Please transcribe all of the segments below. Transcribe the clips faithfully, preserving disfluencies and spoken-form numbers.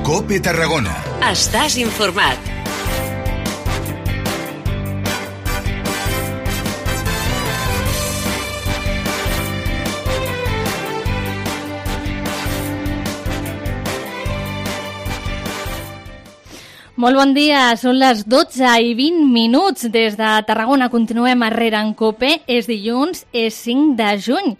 COPE Tarragona. Estàs informat. Molt bon dia, són les dotze i vint minuts. Des de Tarragona continuem a RER en COPE. És dilluns, és cinc de juny.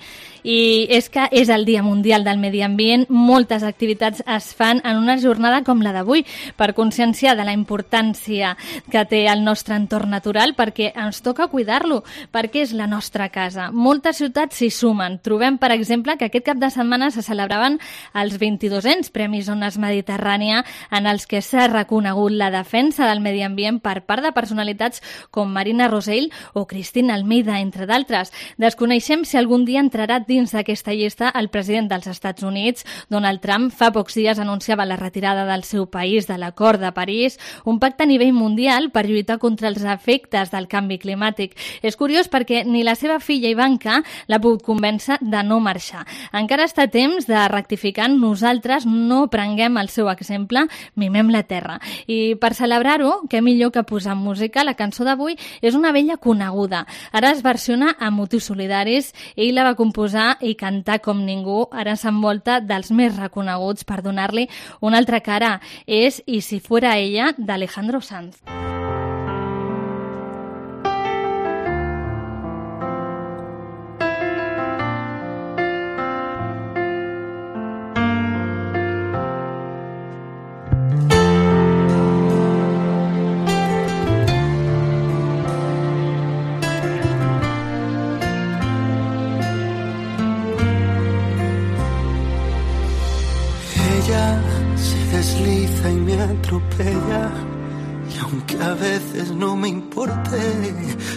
I és que és el Dia Mundial del Medi Ambient. Moltes activitats es fan en una jornada com la d'avui per conscienciar de la importància que té el nostre entorn natural, perquè ens toca cuidar-lo, perquè és la nostra casa. Moltes ciutats s'hi sumen. Trobem, per exemple, que aquest cap de setmana se celebraven els vint-i-dosens Premis Ones Mediterrània, en els que s'ha reconegut la defensa del medi ambient per part de personalitats com Marina Rosell o Cristina Almeida, entre d'altres. Desconeixem si algun dia entrarà dins d'aquesta llista el president dels Estats Units, Donald Trump. Fa pocs dies anunciava la retirada del seu país de l'Acord de París, un pacte a nivell mundial per lluitar contra els efectes del canvi climàtic. És curiós perquè ni la seva filla Ivanka l'ha pogut convèncer de no marxar. Encara està a temps de rectificar. Nosaltres no prenguem el seu exemple, mimem la terra. I per celebrar-ho, què millor que posar música? La cançó d'avui és una vella coneguda. Ara es versiona amb motius solidaris. Ell la va composar i cantar com ningú. Ara s'envolta dels més reconeguts per donar-li una altra cara. És I si fuera ella, d'Alejandro Sanz. Desliza y me atropella, y aunque a veces no me importe,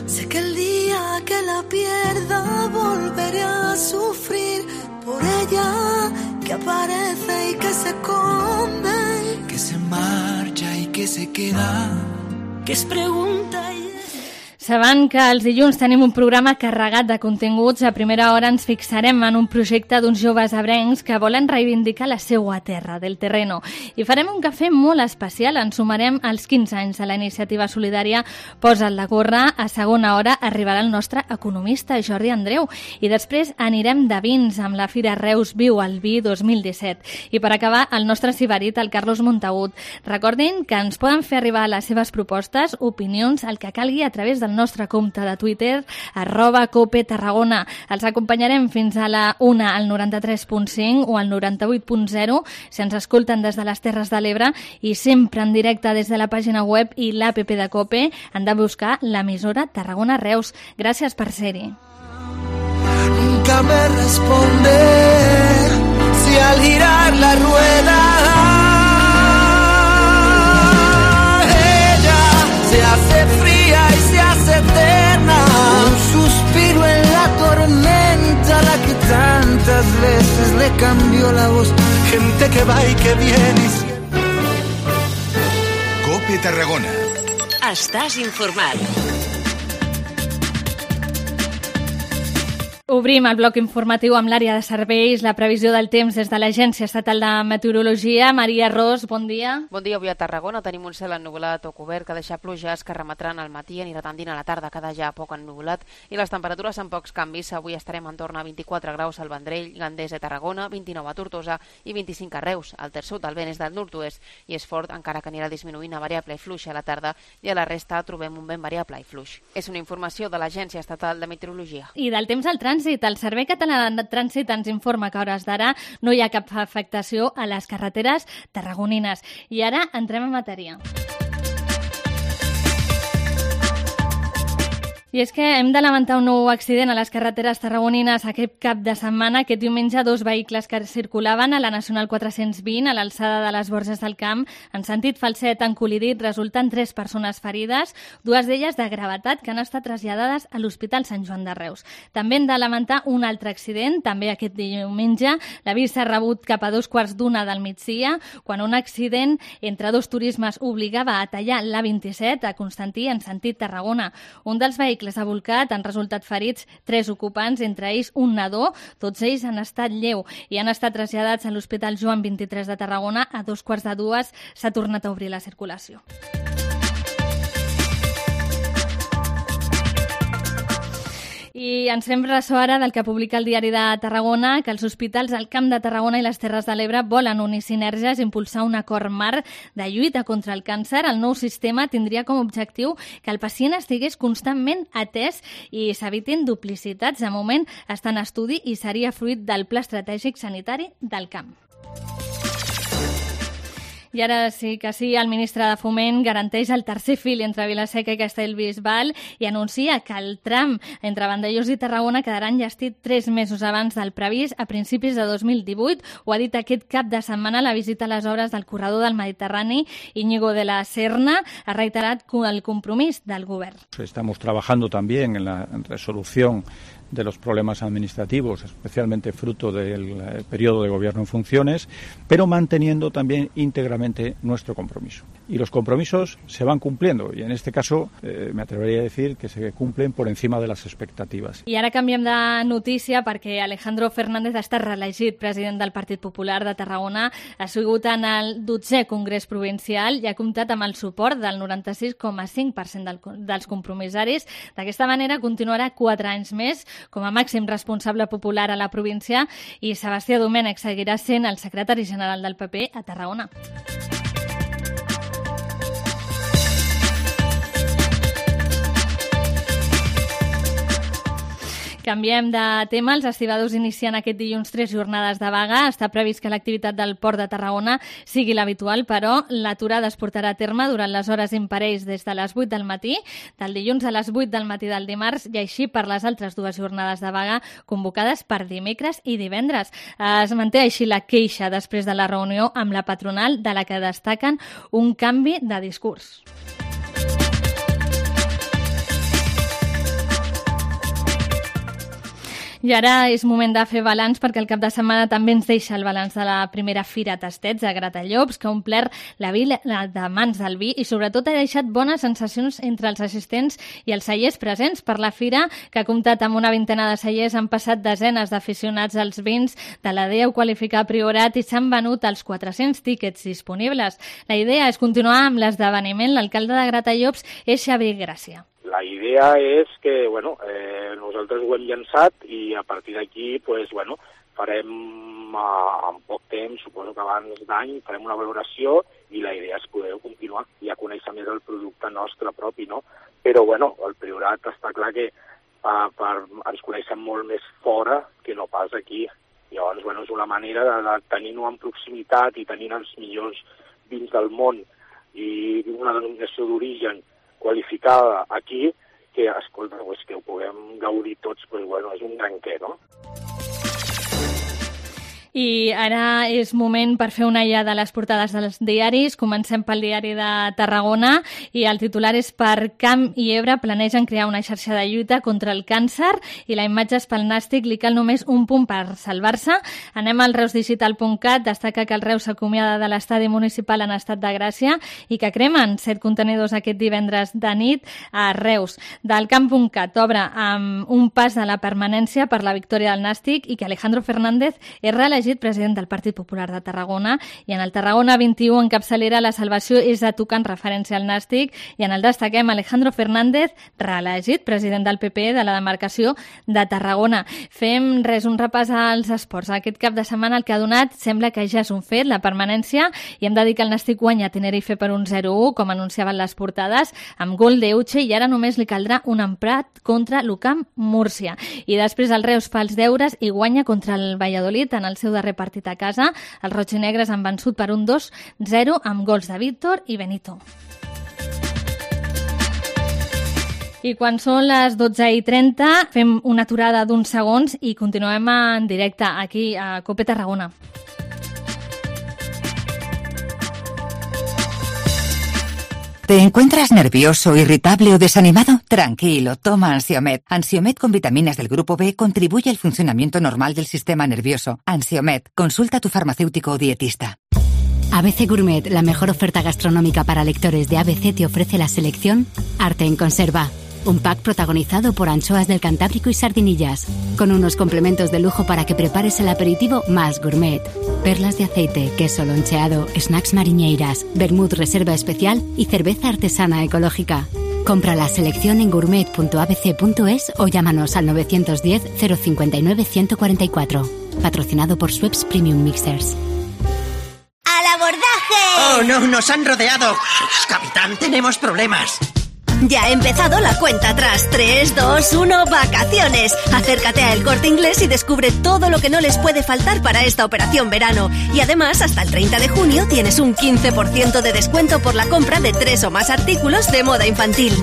sé que el día que la pierda volveré a sufrir por ella, que aparece y que se esconde, que se marcha y que se queda, que es pregunta y... Sabent que els dilluns tenim un programa carregat de continguts, a primera hora ens fixarem en un projecte d'uns joves ebrencs que volen reivindicar la seua terra, del terreno. I farem un cafè molt especial. Ens sumarem als quinze anys de la iniciativa solidària Posa't la gorra. A segona hora arribarà el nostre economista Jordi Andreu. I després anirem de vins amb la Fira Reus Viu al Vi dos mil disset. I per acabar, el nostre ciberit, el Carlos Montagut. Recordin que ens poden fer arribar les seves propostes, opinions, el que calgui a través del nostre compte de Twitter, arroba Cope Tarragona. Els acompanyarem fins a la una al noranta-tres punt cinc o al noranta-vuit punt zero si ens escolten des de les Terres de l'Ebre, i sempre en directe des de la pàgina web i l'app de Cope. Han de buscar l'emissora Tarragona Reus. Gràcies per ser-hi. Nunca me responde si al girar la rueda ella se hace fría y se hace eterna, un suspiro en la tormenta, la que tantas veces le cambió la voz, gente que va y que viene y siempre... COPE Tarragona. Estàs informat. Obrim el bloc informatiu amb l'àrea de serveis, la previsió del temps des de l'Agència Estatal de Meteorologia. Maria Ros, bon dia. Bon dia. Avui a Tarragona tenim un cel ennuvolat o cobert que deixa pluges que remetran al matí, anirà tendint a la tarda, queda ja poc ennuvolat, i les temperatures amb pocs canvis. Avui estarem en torn a vint-i-quatre graus al Vendrell, Gandés de Tarragona, vint-i-nou a Tortosa i vint-i-cinc a Reus. El terç sud del vent és del nord-oest i és fort, encara que anirà disminuint a variable i fluix a la tarda, i a la resta trobem un vent variable i fluix. És una informació de l'Agència Estatal de Meteorologia. I del temps al trànsit. El Servei Català de Trànsit ens informa que a hores d'ara no hi ha cap afectació a les carreteres tarragonines. I ara entrem en matèria. I és que hem de lamentar un nou accident a les carreteres tarragonines aquest cap de setmana. Aquest diumenge, dos vehicles que circulaven a la Nacional quatre-cents vint a l'alçada de les Borges del Camp en sentit falset han col·lidit, resultant tres persones ferides, dues d'elles de gravetat, que han estat traslladades a l'Hospital Sant Joan de Reus. També hem de lamentar un altre accident, també aquest diumenge. L'avís s'ha rebut cap a dos quarts d'una del migdia, quan un accident entre dos turismes obligava a tallar l'A vint-i-set a Constantí en sentit Tarragona. Un dels vehicles vehicles ha volcat, han resultat ferits tres ocupants, entre ells un nadó, tots ells han estat lleu i han estat traslladats a l'Hospital Joan vint-i-tres de Tarragona. A dos quarts de dues s'ha tornat a obrir la circulació. I ens fem ressò ara del que publica el Diari de Tarragona, que els hospitals del Camp de Tarragona i les Terres de l'Ebre volen unir sinergies i impulsar un acord marc de lluita contra el càncer. El nou sistema tindria com a objectiu que el pacient estigués constantment atès i s'evitin duplicitats. De moment està en estudi i seria fruit del Pla Estratègic Sanitari del Camp. I ara sí que sí, el ministre de Foment garanteix el tercer fil entre Vila-seca i Castellbisbal i anuncia que el tram entre Vandellòs i Tarragona quedarà enllestit tres mesos abans del previst, a principis de dos mil divuit. Ho ha dit aquest cap de setmana la visita a les obres del corredor del Mediterrani. Íñigo de la Serna ha reiterat el compromís del govern. Estamos trabajando también en la resolución de los problemas administrativos, especialmente fruto del periodo de gobierno en funciones, pero manteniendo también íntegramente nuestro compromiso. Y los compromisos se van cumpliendo, y en este caso eh, me atrevería a decir que se cumplen por encima de las expectativas. I ara canviem de notícia perquè Alejandro Fernández ha estat reelegit president del Partit Popular de Tarragona. Ha sigut en el dotzè Congrés Provincial i ha comptat amb el suport del noranta-sis coma cinc per cent del, dels compromissaris. D'aquesta manera continuarà quatre anys més com a màxim responsable popular a la província i Sebastià Domènech seguirà sent el secretari general del P P a Tarragona. Canviem de tema. Els estibadors inicien aquest dilluns tres jornades de vaga. Està previst que l'activitat del Port de Tarragona sigui l'habitual, però l'aturada es portarà a terme durant les hores imparells des de les vuit del matí, del dilluns a les vuit del matí del dimarts, i així per les altres dues jornades de vaga convocades per dimecres i divendres. Es manté així la queixa després de la reunió amb la patronal, de la que destaquen un canvi de discurs. I ara és moment de fer balanç, perquè el cap de setmana també ens deixa el balanç de la primera Fira Tastets a Gratallops, que ha omplert la vila de mans del vi i sobretot ha deixat bones sensacions entre els assistents i els cellers presents. Per la fira, que ha comptat amb una vintena de cellers, han passat desenes d'aficionats als vins de la D E U qualificar Priorat i s'han venut els quatre-cents tíquets disponibles. La idea és continuar amb l'esdeveniment. L'alcalde de Gratallops és Xavier Gràcia. La idea és que, bueno, eh, nosaltres ho hem llançat i a partir d'aquí, pues, bueno, farem eh, en poc temps, suposo que abans d'any, farem una valoració i la idea és poder continuar i a conèixer més el producte nostre propi, no? Però, bueno, el Priorat està clar que eh, per, ens coneixem molt més fora que no pas aquí. Llavors, bueno, és una manera de, de tenir-ho en proximitat i tenir els millors vins del món i una denominació d'origen qualificada aquí, que, escolta, pues, que ho puguem gaudir tots, pues, bueno, és un gran què, no? I ara és moment per fer una ullada de les portades dels diaris. Comencem pel diari de Tarragona i el titular és per Camp i Ebre planegen crear una xarxa de lluita contra el càncer i la imatge és pel Nàstic, li cal només un punt per salvar-se. Anem al reus digital punt cat, destaca que el Reus s'acomiada de l'estadi municipal en estat de gràcia i que cremen set contenidors aquest divendres de nit a Reus. Del camp punt cat obre amb un pas a la permanència per la victòria del Nàstic i que Alejandro Fernández és reelegit president del Partit Popular de Tarragona, i en el Tarragona vint-i-u en capçalera la salvació és a tocar en referència al Nàstic, i en el destaquem Alejandro Fernández reelegit president del P P de la demarcació de Tarragona. Fem res, un repàs als esports. Aquest cap de setmana el que ha donat sembla que ja és un fet, la permanència, i hem de dir que el Nàstic guanya Tenerife per un zero a u, com anunciaven les portades, amb gol d'Euche, i ara només li caldrà un empat contra l'Ucamp Múrcia. I després el Reus fa els deures i guanya contra el Valladolid en el seu darrer partit a casa. Els rojinegres han vençut per un dos zero amb gols de Víctor i Benito. I quan són les dotze i trenta fem una aturada d'uns segons i continuem en directe aquí a COPE Tarragona. ¿Te encuentras nervioso, irritable o desanimado? Tranquilo, toma Ansiomed. Ansiomed con vitaminas del grupo B contribuye al funcionamiento normal del sistema nervioso. Ansiomed, consulta a tu farmacéutico o dietista. A B C Gourmet, la mejor oferta gastronómica para lectores de A B C, te ofrece la selección Arte en Conserva. un pack protagonizado por anchoas del Cantábrico y sardinillas, con unos complementos de lujo para que prepares el aperitivo más gourmet. Perlas de aceite, queso loncheado, snacks mariñeiras, vermut reserva especial y cerveza artesana ecológica. Compra la selección en gourmet punto a b c punto es o llámanos al nueve uno cero, cero cinco nueve, uno cuatro cuatro. Patrocinado por Schweppes Premium Mixers. ¡Al abordaje! ¡Oh, no! ¡Nos han rodeado! Capitán, tenemos problemas. Ya ha empezado la cuenta atrás. tres, dos, uno, vacaciones. Acércate a El Corte Inglés y descubre todo lo que no les puede faltar para esta operación verano. Y además, hasta el treinta de junio tienes un quince por ciento de descuento por la compra de tres o más artículos de moda infantil.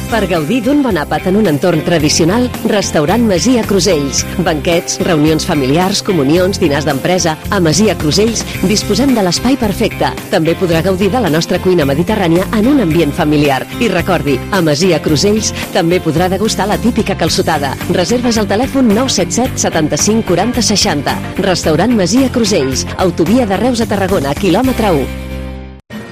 Per gaudir d'un bon àpat en un entorn tradicional, Restaurant Masia Crusells. Banquets, reunions familiars, comunions, dinars d'empresa... A Masia Crusells disposem de l'espai perfecte. També podrà gaudir de la nostra cuina mediterrània en un ambient familiar. I recordi, a Masia Crusells també podrà degustar la típica calçotada. Reserves al telèfon nou set set, setanta-cinc, quaranta, seixanta. Restaurant Masia Crusells. Autovia de Reus a Tarragona, quilòmetre u.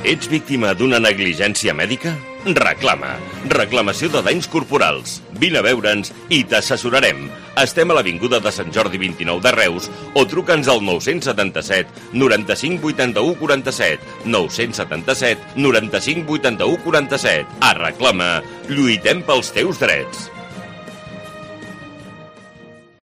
Ets víctima d'una negligència mèdica? Reclama. Reclamació de danys corporals. Vine a veure'ns i t'assessorarem. Estem a l'Avinguda de Sant Jordi vint-i-nou de Reus o truca'ns al nou setanta-set, noranta-cinc, vuitanta-u, quaranta-set. nou setanta-set, noranta-cinc, vuitanta-u, quaranta-set. A Reclama, lluitem pels teus drets.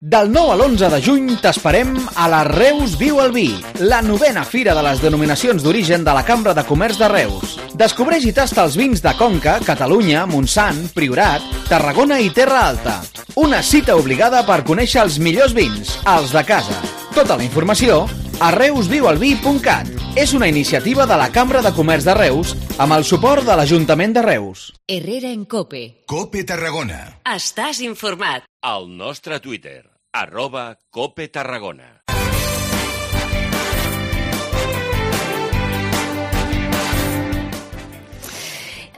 Del nou a l'onze de juny t'esperem a la Reus Viu el Vi, la novena fira de les denominacions d'origen de la Cambra de Comerç de Reus. Descobreix i tasta els vins de Conca, Catalunya, Montsant, Priorat, Tarragona i Terra Alta. Una cita obligada per conèixer els millors vins, els de casa. Tota la informació a reus viu el vi punt cat. És una iniciativa de la Cambra de Comerç de Reus amb el suport de l'Ajuntament de Reus. Herrera en Cope. Cope Tarragona. Estàs informat. Al nostre Twitter, arroba Cope Tarragona.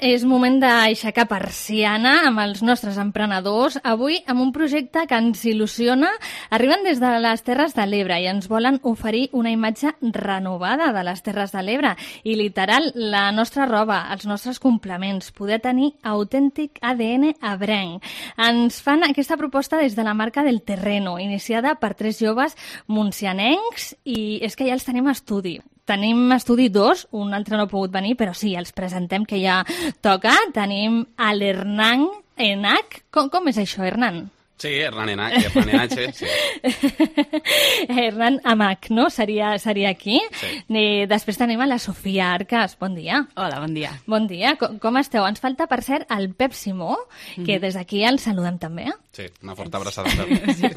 És moment d'aixecar persiana amb els nostres emprenedors. Avui amb un projecte que ens il·lusiona. Arriben des de les Terres de l'Ebre i ens volen oferir una imatge renovada de les Terres de l'Ebre. I literal, la nostra roba, els nostres complements, poder tenir autèntic A D N ebrenc. Ens fan aquesta proposta des de la marca del Terreno, iniciada per tres joves montsianencs, i és que ja els tenim a estudi. Tenim estudi dos, un altre no ha pogut venir, però sí, els presentem, que ja toca. Tenim a l'Hernan Enach. Com, com és això, Hernan? Sí, Hernan Enach, Hernan Enach, sí. Hernan Amach, no? Seria, seria aquí. Sí. I després tenim a la Sofia Arcas. Bon dia. Hola, bon dia. Bon dia. Com, com esteu? Ens falta, per cert, el Pep Simó, que des d'aquí el saludem també. Sí, una forta abraçada. Sí.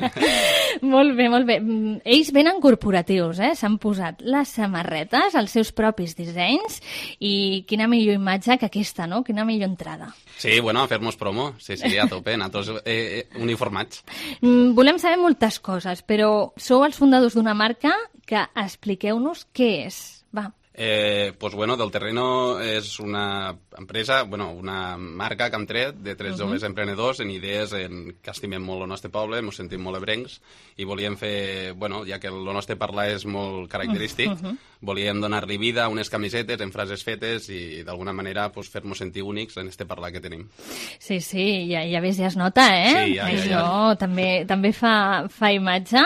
Molt bé, molt bé. Ells venen corporatius, eh? S'han posat les samarretes, els seus propis dissenys, i quina millor imatge que aquesta, no? Quina millor entrada. Sí, bueno, a fer-nos promo. Sí, sí, a tope. Nosaltres eh, uniformats. Mm, volem saber moltes coses, però sou els fundadors d'una marca que expliqueu-nos què és. Va. Eh, pues bueno, Del Terreno és una empresa, bueno, una marca que hem tret de tres Uh-huh. joves emprenedors en idees en que estimem molt el nostre poble, ens sentim molt ebrencs i volíem fer, bueno, ja que el nostre parlar és molt característic, Uh-huh. volíem donar-li vida a unes camisetes en frases fetes i d'alguna manera pues, fer-nos sentir únics en este parlar que tenim. Sí, sí, ja, ja ves, ja es nota, eh? Sí, ja, ja, Això ja. també, també fa, fa imatge.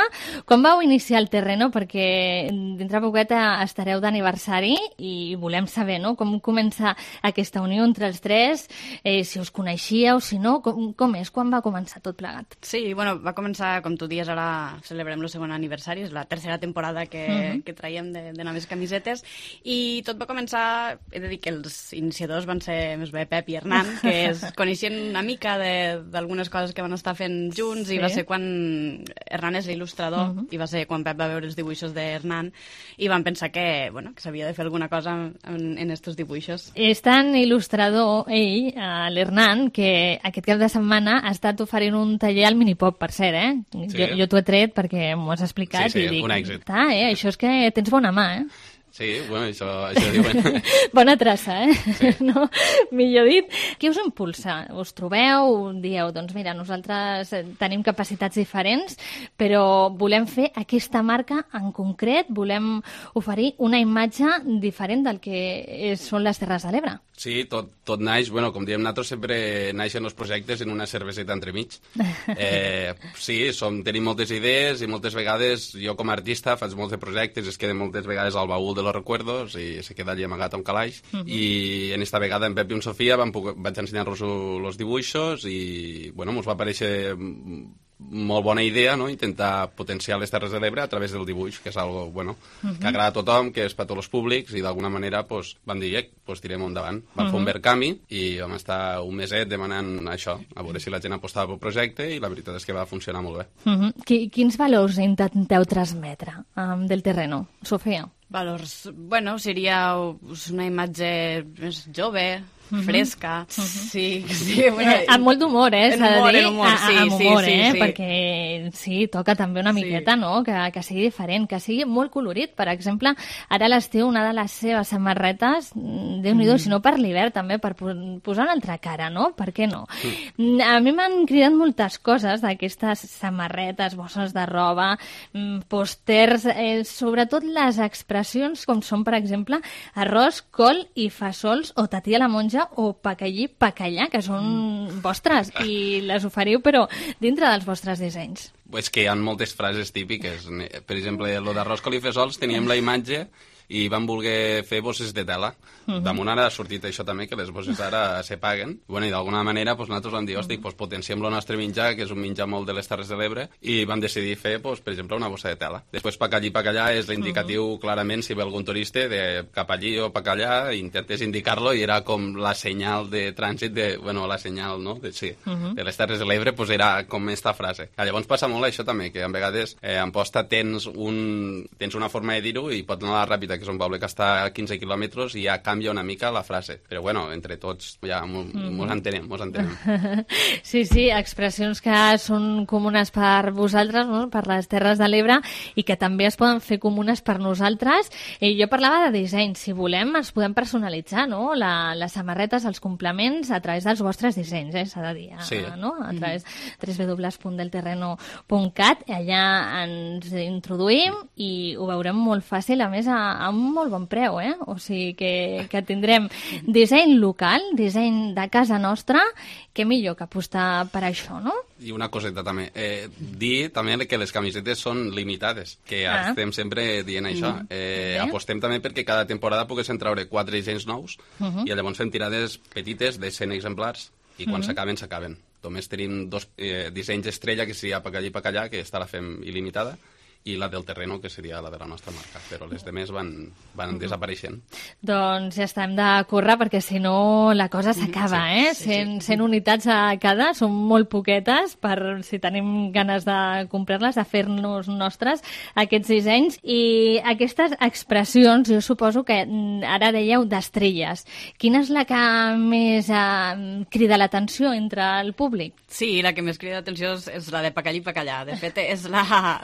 Quan vau iniciar el Terreno? Perquè dintre poqueta estareu d'aniversari i volem saber, no?, com comença aquesta unió entre els tres, eh, si us coneixíeu, si no, com, com és? Quan va començar tot plegat? Sí, bueno, va començar, com tu dies, ara celebrem el segon aniversari, és la tercera temporada que, Mhm. que traiem de, de noves camisetes, i tot va començar, he de dir que els iniciadors van ser més bé Pep i Hernan, que es coneixien una mica de- d'algunes coses que van estar fent junts, Sí. i va ser quan Hernan és l'il·lustrador, Mhm. i va ser quan Pep va veure els dibuixos d'Hernan, i van pensar que, bueno, que s'havia de fer alguna cosa en, en estos dibuixos. És tan il·lustrador, ell, eh, l'Hernan, que aquest cap de setmana ha estat oferint un taller al Minipop, per cert, eh? Sí. Jo, jo t'ho he tret perquè m'ho has explicat Sí, sí, i dic, un èxit. "Ta, eh? Això és que tens bona mà, eh?" Sí, bueno, això, això diuen. Bona traça, eh? Sí. No? Millor dit. Què us impulsa? Us trobeu, dieu, doncs mira, nosaltres tenim capacitats diferents, però volem fer aquesta marca en concret, volem oferir una imatge diferent del que és, són les Terres de l'Ebre. Sí, tot, tot naix, bueno, com diem nosaltres, sempre naixen els projectes en una cerveseta entremig. Eh, sí, som, tenim moltes idees i moltes vegades, jo com a artista faig molts de projectes, es queden moltes vegades al baúl de los recuerdos i se queda allí amagat a un calaix. Uh -huh. I en esta vegada en Pep i en Sofia vam, vaig ensenyar-los els dibuixos i, bueno, mos va aparèixer molt bona idea, no?, intentar potenciar les Terres de l'Ebre a través del dibuix, que és algo, bueno, uh -huh. que agrada a tothom, que és per tots els públics, i d'alguna manera pues, vam dir, eh, pues, tirem endavant. Vam uh -huh. fer un Verkami i vam estar un meset demanant això, a veure si la gent apostava pel projecte, i la veritat és que va funcionar molt bé. Uh -huh. Quins valors intenteu transmetre um, del terreno, Sofia? Valors, bueno, seria una imatge més jove, Uh-huh. fresca, uh-huh. sí, sí bueno, eh, amb molt d'humor, eh, s'ha de dir, humor, sí, amb humor, sí, eh, sí, perquè sí, toca també una miqueta, sí. no?, que, que sigui diferent, que sigui molt colorit. Per exemple, ara a l'estiu una de les seves samarretes, Déu-n'hi-do, mm. si no per l'hivern també, per posar una altra cara, no? Per què no? Mm. A mi m'han cridat moltes coses d'aquestes samarretes, bosses de roba, pòsters, eh, sobretot les expressions com són, per exemple, arròs, col i fasols, o tatí a la monja, o pacallí, pacallà, que són mm. vostres, i les oferiu, però dintre dels vostres dissenys. És que hi ha moltes frases típiques. Per exemple, lo d'arròs, col i fesols, teníem la imatge i vam voler fer bosses de tela. Uh-huh. Damunt ara ha sortit això també, que les bosses ara se paguen. Bueno, i d'alguna manera pues, nosaltres vam dir, hosti, uh-huh. pues, potenciem el nostre menjar, que és un menjar molt de les Terres de l'Ebre, i vam decidir fer, pues, per exemple, una bossa de tela. Després, pacallí, pacallà és l'indicatiu, uh-huh. clarament, si ve algun turista, de cap allí o pacallà, intentes indicar-lo, i era com la senyal de trànsit, de, bueno, la senyal, no?, de, sí, uh-huh. de les Terres de l'Ebre, pues, era com esta frase. I llavors passa molt això també, que a vegades eh, en posta tens, un, tens una forma de dir-ho i pots anar a la ràpida, que és un poble que està a quinze quilòmetres, i ja canvia una mica la frase. Però bueno, entre tots ja mos mm. entenem, mos entenem. Sí, sí, expressions que són comunes per vosaltres, no?, per les Terres de l'Ebre, i que també es poden fer comunes per nosaltres. I jo parlava de disseny. Si volem, ens podem personalitzar, no?, la, les samarretes, els complements, a través dels vostres dissenys, eh, s'ha de dir, sí. no?, a través de w w w punt del terreno punt cat. Allà ens introduïm i ho veurem molt fàcil, a més, a, a un molt bon preu, eh? O sigui que, que tindrem disseny local, disseny de casa nostra, que millor que apostar per això, no? I una coseta també, eh, dir també que les camisetes són limitades, que ah. estem sempre dient això. Eh, apostem també perquè cada temporada poguessin treure quatre dissenys nous, uh -huh. i llavors fem tirades petites de cent exemplars, i quan uh -huh. s'acaben, s'acaben. Només tenim dos eh, dissenys estrella, que seria pacallí i pacallà, que esta la fem il·limitada, i la del terreno, que seria la de la nostra marca, però les demés van, van uh-huh. desapareixent. Doncs ja està, hem de córrer, perquè si no la cosa s'acaba, sí, eh? Sí, cent, sí. cent unitats a cada, són molt poquetes, per si tenim ganes de comprar-les, de fer-nos nostres aquests dissenys. I aquestes expressions, jo suposo que ara dèieu d'estrelles. Quina és la que més eh, crida l'atenció entre el públic? Sí, la que més crida l'atenció és, és la de pacallí pacallà. De fet, és la...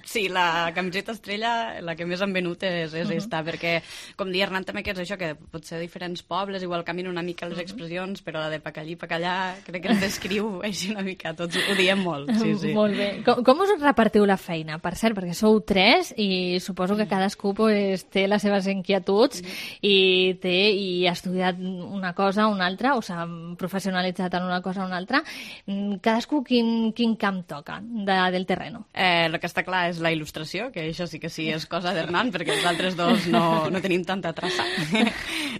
Sí, la camiseta estrella, la que més han venut és, és uh -huh. esta, perquè, com deia Hernán també, que és això, que potser diferents pobles igual caminen una mica les expressions, però la de pacallí pacallà crec que ens descriu així una mica, tots ho diem molt. Sí, sí. Molt bé. Com, com us repartiu la feina? Per cert, perquè sou tres i suposo que cadascú pues, té les seves inquietuds i té i ha estudiat una cosa o una altra, o s'ha professionalitzat en una cosa o una altra. Cadascú quin, quin camp toca de, del terreno? Eh, el que està clar és la il·lustració, que això sí que sí és cosa d'Hernán, perquè els altres dos no, no tenim tanta traça.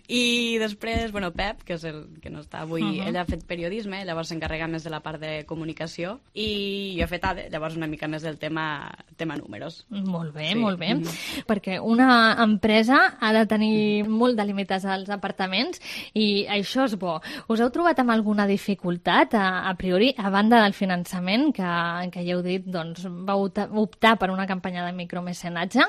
I després, bueno, Pep, que és el que no està avui, uh-huh. ell ha fet periodisme, llavors s'encarrega més de la part de comunicació, i jo he fet A D E, llavors una mica més del tema, tema números. Molt bé, sí. molt bé. Uh-huh. Perquè una empresa ha de tenir molt delimitats als apartaments, i això és bo. Us heu trobat amb alguna dificultat, a, a priori, a banda del finançament, que, que ja heu dit, doncs, vau optar per una campanya de micromecenatge.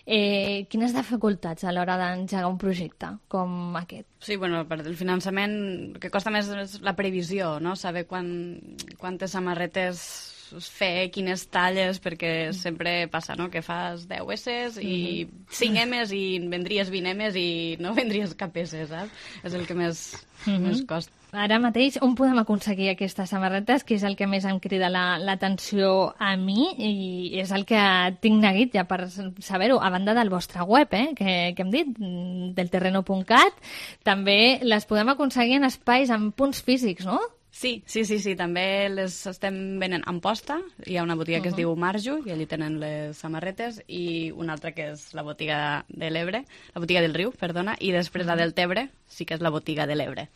Eh, quines dificultats a l'hora d'engegar un projecte com aquest? Sí, bueno, per el finançament, el que costa més és la previsió, no? Saber quan, quantes samarretes fer quines talles, perquè sempre passa, no?, que fas deu esses i cinc emes i vendries vint emes i no vendries cap esse, saps? És el que més, Mhm. més costa. Ara mateix, on podem aconseguir aquestes samarretes, que és el que més em crida la- l'atenció a mi i és el que tinc neguit ja per saber-ho, a banda del vostre web, eh, que, que hem dit, mm, del terreno punt cat, també les podem aconseguir en espais, en punts físics, no? Sí, sí, sí, sí, també les estem venent en posta. Hi ha una botiga que es Mhm. diu Marjo i allí tenen les samarretes, i una altra que és la botiga de l'Ebre, la botiga del Riu, perdona, i després la del Tebre sí que és la botiga de l'Ebre.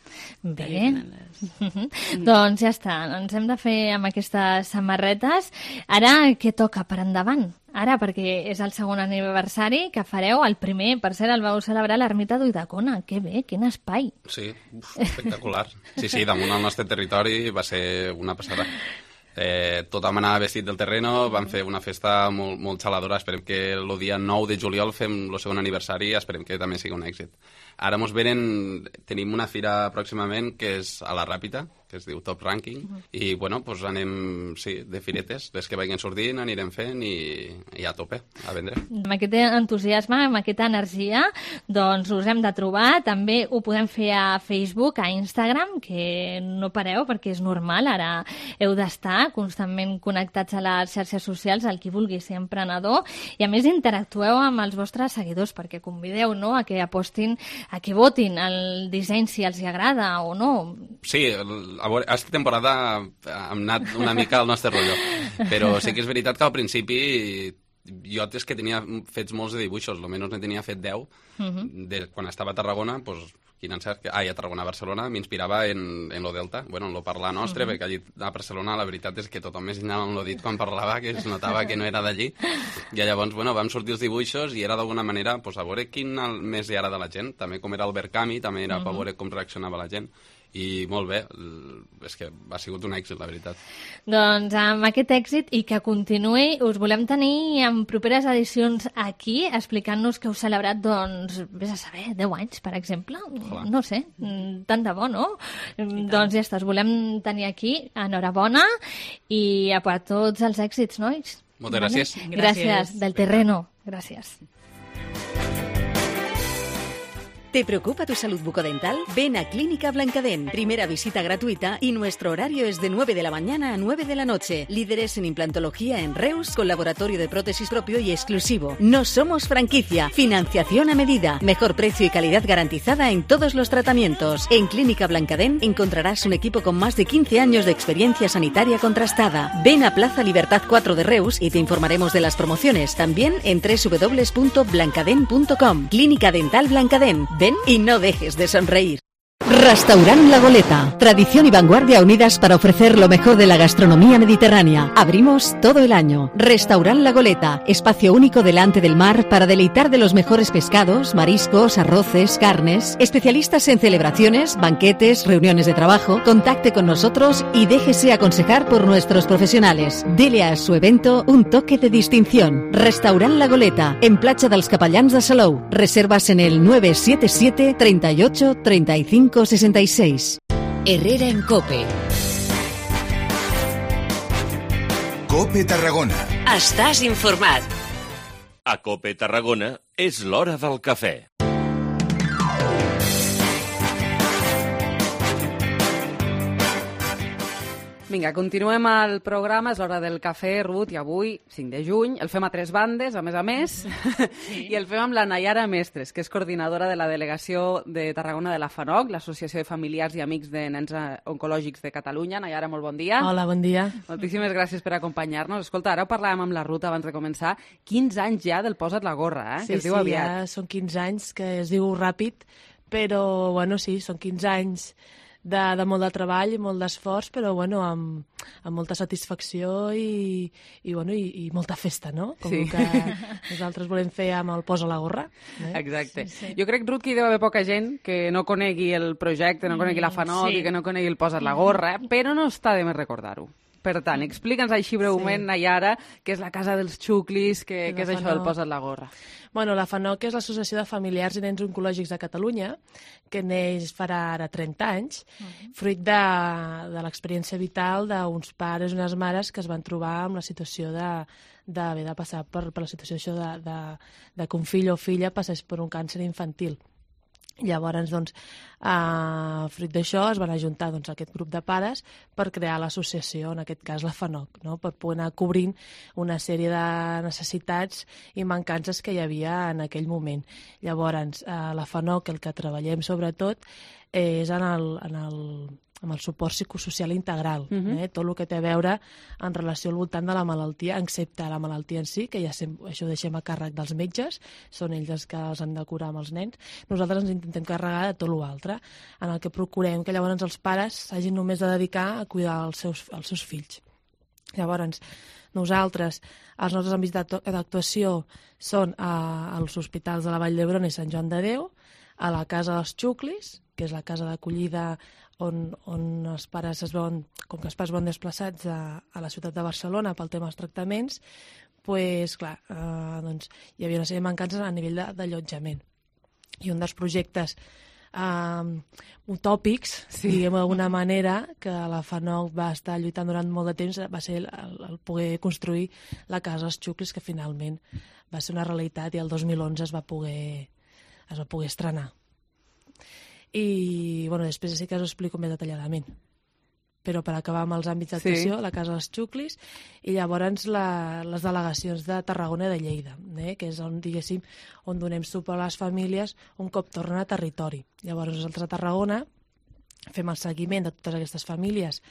Bé, mhm. Doncs ja està, ens hem de fer amb aquestes samarretes. Ara, què toca per endavant? Ara, perquè és el segon aniversari que fareu, el primer, per cert, el vau celebrar a l'Ermita d'Ulldecona. Que bé, quin espai. Sí, uf, espectacular. Sí, sí, damunt al nostre territori va ser una passada. Eh, tothom anava vestit del terreno, vam fer una festa molt, molt xaladora. Esperem que el dia nou de juliol fem el segon aniversari, esperem que també sigui un èxit. Ara mos venen, tenim una fira pròximament que és a la Ràpita, que es diu Top Ranking, i bueno, pues anem, sí, de firetes, les que vagin sortint, anirem fent i, i a tope, a vendre. Amb aquest entusiasme, amb aquesta energia, doncs us hem de trobar. També ho podem fer a Facebook, a Instagram, que no pareu perquè és normal, ara heu d'estar constantment connectats a les xarxes socials, el qui vulgui ser emprenedor, i a més interactueu amb els vostres seguidors, perquè convideu, no?, a que apostin, a que votin el disseny si els hi agrada o no. Sí, el- a veure, aquesta temporada hem anat una mica al nostre rotllo, però sí que és veritat que al principi jo és que tenia fets molts de dibuixos, almenys ne tenia fet deu. Mhm. De, quan estava a Tarragona, pues, quin encert, que, ai, a Tarragona, a Barcelona, m'inspirava en, en lo Delta, bueno, en lo parlar nostre, Mhm. perquè allí a Barcelona la veritat és que tothom m'ensenyava amb lo dit quan parlava, que es notava que no era d'allí. I llavors, bueno, vam sortir els dibuixos i era d'alguna manera, pues, a veure quin el més hi agrada a la gent. També com era Albert Camus, també era per Mhm. veure com reaccionava la gent. I molt bé, l- és que ha sigut un èxit, la veritat. Doncs amb aquest èxit i que continuï, us volem tenir en properes edicions aquí, explicant-nos que heu celebrat, doncs, vés a saber, deu anys, per exemple. Ojalà. No sé, mm, tant de bo, no? Mm, Doncs ja està, us volem tenir aquí. Enhorabona i a per tots els èxits, nois. Moltes gràcies. Gràcies, gràcies del terreno. Gràcies. ¿Te preocupa tu salud bucodental? Ven a Clínica Blancadén. Primera visita gratuita y nuestro horario es de nueve de la mañana a nueve de la noche. Líderes en implantología en Reus con laboratorio de prótesis propio y exclusivo. No somos franquicia. Financiación a medida. Mejor precio y calidad garantizada en todos los tratamientos. En Clínica Blancadén encontrarás un equipo con más de quince años de experiencia sanitaria contrastada. Ven a Plaza Libertad cuatro de Reus y te informaremos de las promociones. También en doble u doble u doble u punto blancadén punto com. Clínica Dental Blancadén. Ven y no dejes de sonreír. Restaurant La Goleta. Tradición y vanguardia unidas para ofrecer lo mejor de la gastronomía mediterránea. Abrimos todo el año. Restaurant La Goleta. Espacio único delante del mar para deleitar de los mejores pescados, mariscos, arroces, carnes. Especialistas en celebraciones, banquetes, reuniones de trabajo. Contacte con nosotros y déjese aconsejar por nuestros profesionales. Dele a su evento un toque de distinción. Restaurant La Goleta. En Platja dels Capellans de Salou. Reservas en el nueve siete siete, treinta y ocho, treinta y cinco sesenta y seis. Herrera en Cope. Cope Tarragona. Estàs informat. A Cope Tarragona és l'hora del cafè. Vinga, continuem el programa, és l'hora del cafè, Ruth, i avui, cinc de juny, el fem a tres bandes, a més a més, sí. I el fem amb la Nayara Mestres, que és coordinadora de la delegació de Tarragona de la FANOC, l'Associació de Familiars i Amics de Nens Oncològics de Catalunya. Nayara, molt bon dia. Hola, bon dia. Moltíssimes gràcies per acompanyar-nos. Escolta, ara ho parlàvem amb la Ruth abans de començar, quinze anys ja del Posa't la gorra, eh? Sí, que es diu sí, aviat. ja són quinze anys, que es diu ràpid, però, bueno, sí, són quinze anys de, de molt de treball i molt d'esforç, però, bueno, amb, amb molta satisfacció i, i, bueno, i, i molta festa, no? Com Sí. que nosaltres volem fer amb el Posa la gorra. Eh? Exacte. Sí, sí. Jo crec, Ruth, que hi deu haver poca gent que no conegui el projecte, no conegui la FANOC sí. i que no conegui el Posa't la gorra, però no està de més recordar-ho. Per tant, explica'ns així breument, sí. Nayara, què és la Casa dels Xuclis, què, què és això del Posa't la gorra. Bueno, la FANOC és l'Associació de Familiars i Nens Oncològics de Catalunya, que neix farà ara trenta anys, uh-huh. fruit de, de l'experiència vital d'uns pares i unes mares que es van trobar amb la situació de d'haver de passar per, per la situació això de, de, de que un fill o filla passés per un càncer infantil. Llavors, doncs, eh, fruit d'això es van ajuntar doncs, aquest grup de pares per crear l'associació, en aquest cas la FANOC, no? Per poder anar cobrint una sèrie de necessitats i mancances que hi havia en aquell moment. Llavors, eh, la FANOC, el que treballem sobretot, és en el, en el, amb el suport psicosocial integral, uh-huh. eh? Tot el que té a veure en relació al voltant de la malaltia, excepte la malaltia en si, que ja sempre, això ho deixem a càrrec dels metges, són ells els que els han de curar amb els nens. Nosaltres ens intentem carregar de tot l'altre, en el que procurem que llavors els pares s'hagin només de dedicar a cuidar els seus, els seus fills. Llavors, nosaltres, els nostres àmbits d'actuació són a, als hospitals de la Vall d'Hebron i Sant Joan de Déu, a la Casa dels Xuclis, que és la casa d'acollida on, on els pares es veuen, com que els pares van desplaçats a, a la ciutat de Barcelona pel tema dels tractaments, pues, clar, eh, doncs, hi havia una sèrie de mancances a nivell d'allotjament. I un dels projectes eh, utòpics, sí. diguem d'alguna manera, que la FANOC va estar lluitant durant molt de temps, va ser el, el poder construir la Casa dels Xuclis, que finalment va ser una realitat i el dos mil onze es va poder, es va poder estrenar. I bueno, després sí que us ho explico més detalladament. Però per acabar amb els àmbits d'actuació, sí. la Casa dels Xuclis, i llavors la, les delegacions de Tarragona i de Lleida, eh, que és on, diguéssim, on donem suport a les famílies un cop tornen a territori. Llavors nosaltres a Tarragona fem el seguiment de totes aquestes famílies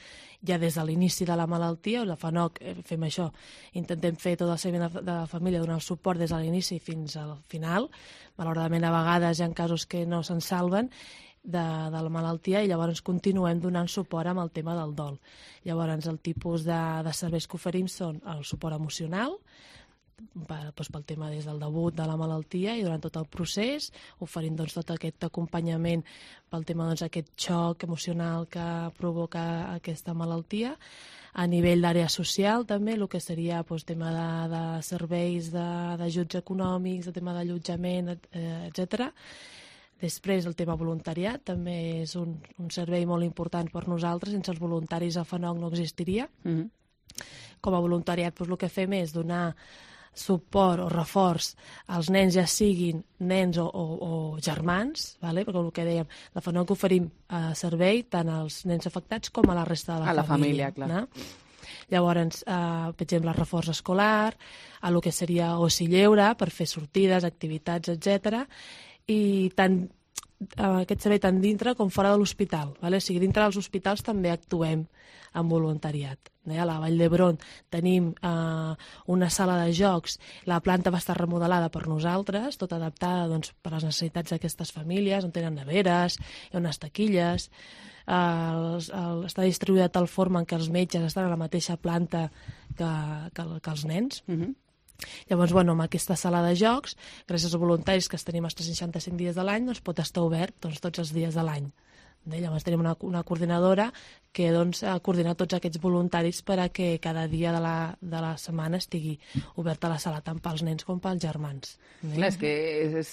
ja des de l'inici de la malaltia, o la FANOC fem això, intentem fer tot el seguiment de la família, donar el suport des de l'inici fins al final. Malauradament a vegades hi ha casos que no se'n salven de, de la malaltia i llavors continuem donant suport amb el tema del dol. Llavors el tipus de, de serveis que oferim són el suport emocional, per, doncs, pel tema des del debut de la malaltia i durant tot el procés, oferint doncs, tot aquest acompanyament pel tema doncs, aquest xoc emocional que provoca aquesta malaltia. A nivell d'àrea social també, el que seria doncs, tema de, de serveis d'ajuts econòmics, de tema d'allotjament, eh, etcètera. Després el tema voluntariat també és un, un servei molt important per nosaltres, sense els voluntaris a FANOC no existiria. Mm-hmm. Com a voluntariat doncs, el que fem és donar suport o reforç als nens, ja siguin nens o, o, o germans, vale? Perquè el que dèiem, la FANOC oferim eh, servei tant als nens afectats com a la resta de la, a la família. família clar. No? Llavors, eh, per exemple, reforç escolar, a el que seria oci lleure per fer sortides, activitats, etcètera, i tant aquest servei tant dintre com fora de l'hospital. Vale? O sigui, dintre dels hospitals també actuem amb voluntariat. A la Vall d'Hebron tenim eh, una sala de jocs, la planta va estar remodelada per nosaltres, tot adaptada doncs, per les necessitats d'aquestes famílies, on tenen neveres, hi ha unes taquilles, eh, el, el, està distribuïda de tal forma en què els metges estan a la mateixa planta que, que, que els nens. Mm-hmm. Llavors, bueno, amb aquesta sala de jocs, gràcies als voluntaris que els tenim els tres cents seixanta-cinc dies de l'any, doncs pot estar obert doncs, tots els dies de l'any. Llavors tenim una, una coordinadora que doncs, ha coordinat tots aquests voluntaris per a que cada dia de la, de la setmana estigui oberta la sala tant pels nens com pels germans. Clar, és que és, és,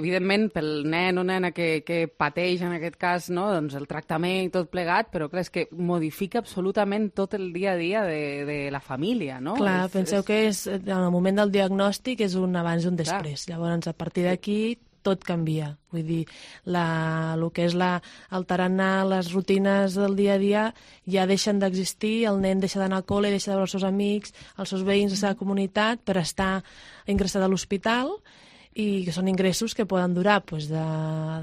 evidentment pel nen o nena que, que pateix en aquest cas no? doncs el tractament i tot plegat, però clar, és que modifica absolutament tot el dia a dia de, de la família, no? Clar, és, penseu és... que és, en el moment del diagnòstic és un abans i un després. Clar. Llavors, a partir d'aquí tot canvia. Vull dir, la, el que és la, el tarannà, les rutines del dia a dia ja deixen d'existir, el nen deixa d'anar al col·le, deixa de veure els seus amics, els seus veïns, la seva comunitat, per estar ingressat a l'hospital, i que són ingressos que poden durar pues, de,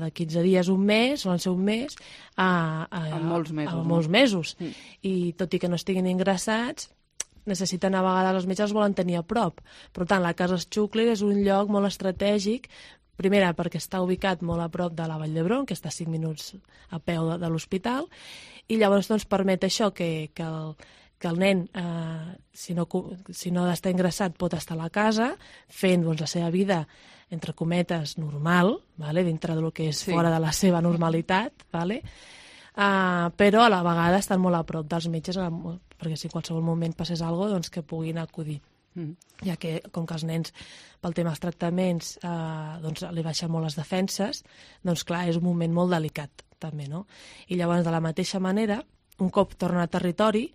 de quinze dies, un mes, solen ser un mes, a, a, a molts mesos. A molts mesos. Mm. I tot i que no estiguin ingressats, necessiten a vegades, els metges els volen tenir a prop. Per tant, la Casa Xuclis és un lloc molt estratègic, primera, perquè està ubicat molt a prop de la Vall d'Hebron, que està a cinc minuts a peu de, de l'hospital, i llavors doncs, permet això que, que, el, que el nen, eh, si no, si no ha d'estar ingressat, pot estar a la casa, fent doncs, la seva vida, entre cometes, normal, vale? Dintre del que és sí. fora de la seva normalitat, vale? Uh, però a la vegada estan molt a prop dels metges, perquè si en qualsevol moment passés alguna cosa, doncs que puguin acudir. Mm. Ja que, com que els nens, pel tema dels tractaments, eh, doncs li baixen molt les defenses, doncs clar, és un moment molt delicat, també, no? I llavors, de la mateixa manera, un cop tornen a territori,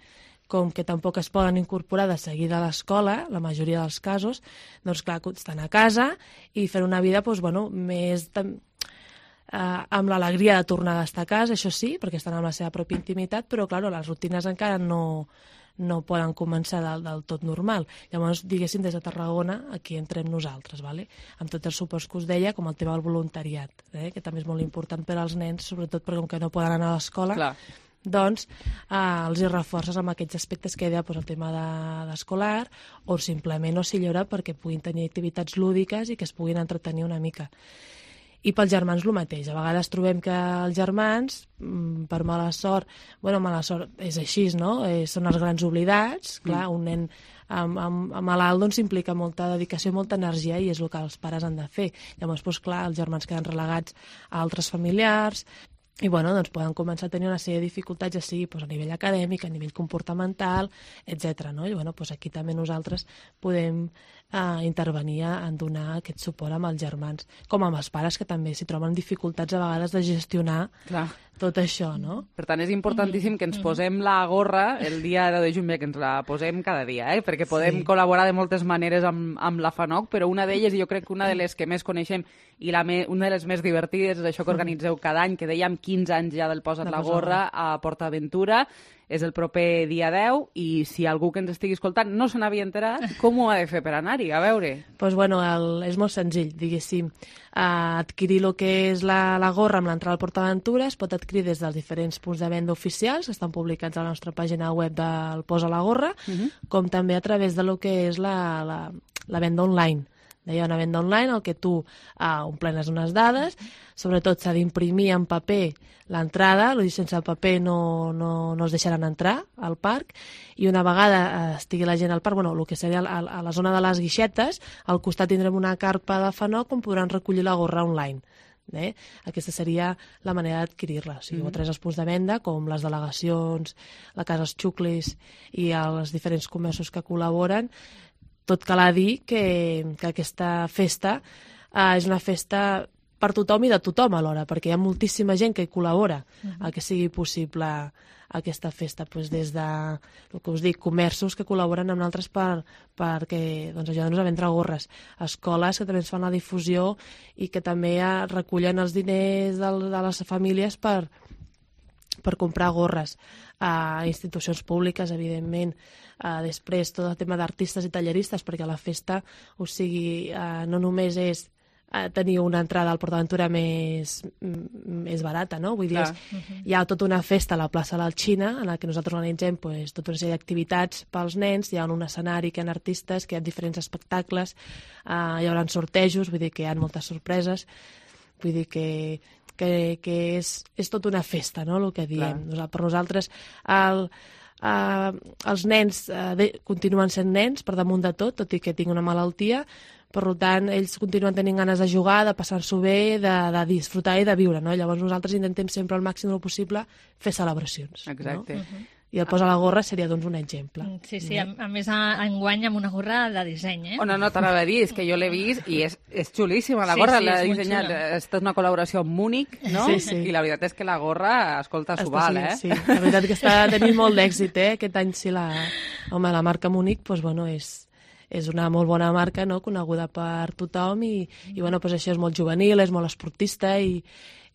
com que tampoc es poden incorporar de seguida a l'escola, la majoria dels casos, doncs clar, estan a casa i fer una vida, doncs, bueno, més... Tam... Uh, amb l'alegria de tornar a estar a casa, això sí, perquè estan amb la seva pròpia intimitat, però, clar, les rutines encara no, no poden començar del, del tot normal. Llavors, diguéssim, des de Tarragona, aquí entrem nosaltres, vale? Amb tots els suports que us deia, com el tema del voluntariat, eh? que també és molt important per als nens, sobretot perquè com que no poden anar a l'escola, Clar. doncs eh, els hi reforces amb aquests aspectes que deia, doncs, el tema de, d'escolar, o simplement o si llora perquè puguin tenir activitats lúdiques i que es puguin entretenir una mica. I pels germans el mateix. A vegades trobem que els germans, per mala sort, bueno, mala sort és així, no? Eh, són els grans oblidats. Clar, un nen amb, amb, amb malalt doncs, implica molta dedicació i molta energia i és el que els pares han de fer. Llavors, doncs, clar, els germans queden relegats a altres familiars i bueno, doncs poden començar a tenir una sèrie de dificultats, ja sigui doncs, a nivell acadèmic, a nivell comportamental, etcètera. No? I bueno, doncs aquí també nosaltres podem eh, intervenir en donar aquest suport amb els germans, com amb els pares que també s'hi troben dificultats a vegades de gestionar Clar. tot això, no? Per tant, és importantíssim que ens posem la gorra el dia deu de juny, que ens la posem cada dia, eh? perquè podem sí. col·laborar de moltes maneres amb, amb la FANOC, però una d'elles, i jo crec que una de les que més coneixem i la me, una de les més divertides és això que organitzeu cada any, que dèiem quinze anys ja del Posa't la gorra a PortAventura, és el proper dia deu, i si algú que ens estigui escoltant no se n'havia enterat, com ho ha de fer per anar-hi? A veure. Doncs pues bueno, el, és molt senzill, diguéssim. Uh, adquirir el que és la, la gorra amb l'entrada al PortAventura es pot adquirir des dels diferents punts de venda oficials que estan publicats a la nostra pàgina web del Posa la Gorra, uh-huh. com també a través de lo que és la, la, la venda online. Hi ha una venda online en què tu uh, omplenes unes dades, sobretot s'ha d'imprimir en paper l'entrada, sense el paper no, no, no es deixaran entrar al parc, i una vegada uh, estigui la gent al parc, bueno, el que seria a, a la zona de les guixetes, al costat tindrem una carpa de FANOC on podran recollir la gorra online. Eh? Aquesta seria la manera d'adquirir-la. O sigui, mm-hmm. a través dels punts de venda, com les delegacions, la Casa Els Xuclis i els diferents comerços que col·laboren. Tot cal a dir que, que aquesta festa eh, és una festa per tothom i de tothom alhora, perquè hi ha moltíssima gent que hi col·labora uh-huh. a que sigui possible aquesta festa, doncs des de, el que us dic, comerços que col·laboren amb altres per, perquè doncs, ajuden-nos a vendre gorres, escoles que també ens fan la difusió i que també eh, recullen els diners de, de les famílies per, per comprar gorres, a institucions públiques, evidentment, uh, després tot el tema d'artistes i talleristes, perquè la festa, o sigui, uh, no només és uh, tenir una entrada al PortAventura més, més barata, no? Vull dir, és, uh-huh. hi ha tota una festa a la plaça de l'Alxina, en la que nosaltres organitzem pues, tota una sèrie d'activitats pels nens, hi ha un escenari, que hi ha artistes, que hi ha diferents espectacles, uh, hi haurà sortejos, vull dir que hi ha moltes sorpreses, vull dir que que, que és, és tota una festa, no?, el que diem. Clar. Per nosaltres, el, eh, els nens eh, de, continuen sent nens per damunt de tot, tot i que tinguin una malaltia, per tant, ells continuen tenint ganes de jugar, de passar-s'ho bé, de, de disfrutar i de viure, no? Llavors nosaltres intentem sempre al màxim del possible fer celebracions. Exacte. No? Uh-huh. I el Posa la Gorra seria, doncs, un exemple. Sí, sí, a, a més, enguany amb una gorra de disseny, eh? Oh, no, no, t'anava a dir, és que jo l'he vist i és, és xulíssima, la gorra, sí, sí, l'ha dissenyat, és tota una col·laboració amb Múnich, no? Sí, sí. I la veritat és que la gorra, escolta, s'ho val, eh? Sí, la veritat que està tenint molt d'èxit, eh? Aquest any sí, la, home, la marca Múnich, doncs, bueno, és... és una molt bona marca, no?, coneguda per tothom i, i bueno, pues això és molt juvenil, és molt esportista i,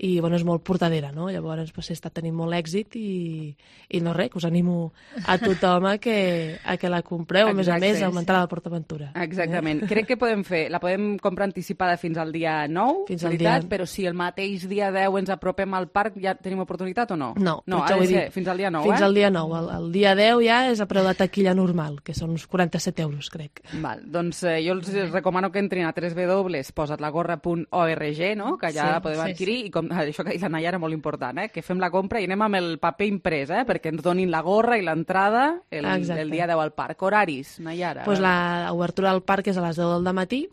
i bueno, és molt portadera, no? Llavors pues, està tenint molt èxit i, i no res, que us animo a tothom a que, a que la compreu, a més a més, augmentar la PortAventura. Exactament. Eh? Crec que podem fer, la podem comprar anticipada fins al dia nou, fins al veritat, dia... però si el mateix dia deu ens apropem al parc, ja tenim oportunitat o no? No, no ha de ser fins al dia nou, fins eh? al dia nou. El, el dia deu ja és a preu de taquilla normal, que són uns quaranta-set euros, crec. Val, doncs eh, jo els recomano que entrin a w w w punt posat la gorra punt org, no?, que allà sí, podem adquirir, sí, sí. I com, això que ha dit la Nayara, molt important, eh?, que fem la compra i anem amb el paper imprès, eh?, perquè ens donin la gorra i l'entrada el, el dia deu al parc. Horaris, Nayara? Pues la obertura del parc és a les deu del matí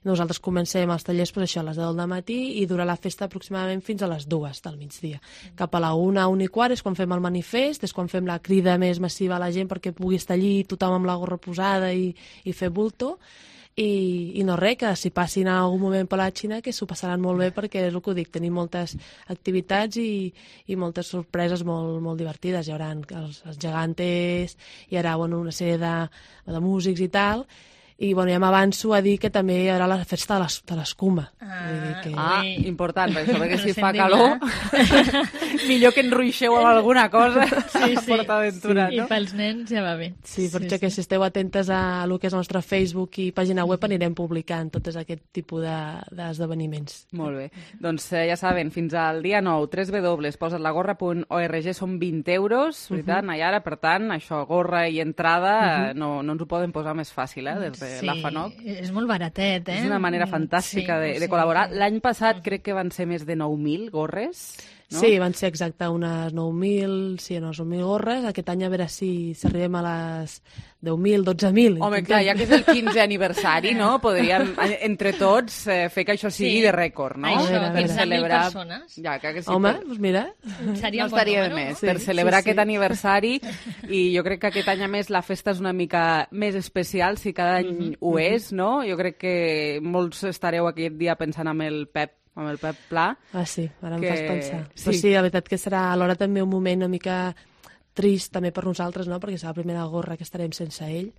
Nosaltres comencem els tallers pues, això, a les deu del matí i dura la festa aproximadament fins a les dues del migdia. Cap a la una, una i quart és quan fem el manifest, és quan fem la crida més massiva a la gent perquè pugui estar allí tothom amb la gorra posada i, i fer bulto. I, i no res, que si passin en algun moment per la Xina que s'ho passaran molt bé perquè és el que ho dic, tenim moltes activitats i, i moltes sorpreses molt, molt divertides. Hi haurà els, els gegantes, hi haurà bueno, una sèrie de, de músics i tal. I bueno, ja m'avanço a dir que també hi haurà la festa de l'escuma. Ah, que... ah, important, per això, perquè si fa calor, millor que enruixeu amb alguna cosa sí, sí, PortAventura, sí. no? I pels nens ja va bé. Sí, per sí, això sí. que si esteu atentes a el que és el nostre Facebook i pàgina web anirem publicant tots aquest tipus d'esdeveniments. De, Molt bé. Doncs eh, ja saben, fins al dia nou, w w w punt posatlagorra punt org són vint euros, veritat, uh -huh. Nayara? Per tant, això, gorra i entrada, uh -huh. no, no ens ho poden posar més fàcil, eh, des de Sí, la FANOC. És molt baratet, eh? És una manera fantàstica sí, de, de sí, col·laborar. sí. L'any passat crec que van ser més de nou mil gorres, no? Sí, van ser exacte unes nou mil, sí, unes nou mil gorres. Aquest any a veure si, si arribem a les deu mil, dotze mil. Home, clar, ja que és el quinzè aniversari, no? Podríem, entre tots, eh, fer que això sigui Sí. de rècord, no? Això, per quinze mil celebrar... persones. Ja, que sí, Home, per... doncs mira. Seria no un bon estaria de número, més. no? Per Sí, celebrar sí, sí. aquest aniversari, i jo crec que aquest any, a més, la festa és una mica més especial, si cada any Mhm, ho mhm. és, no? Jo crec que molts estareu aquest dia pensant amb el Pep, amb el Pep Pla. Ah, sí, ara em que- fas pensar. sí. Però sí, la veritat que serà alhora també un moment una mica trist també per nosaltres, no? Perquè serà la primera gorra que estarem sense ell.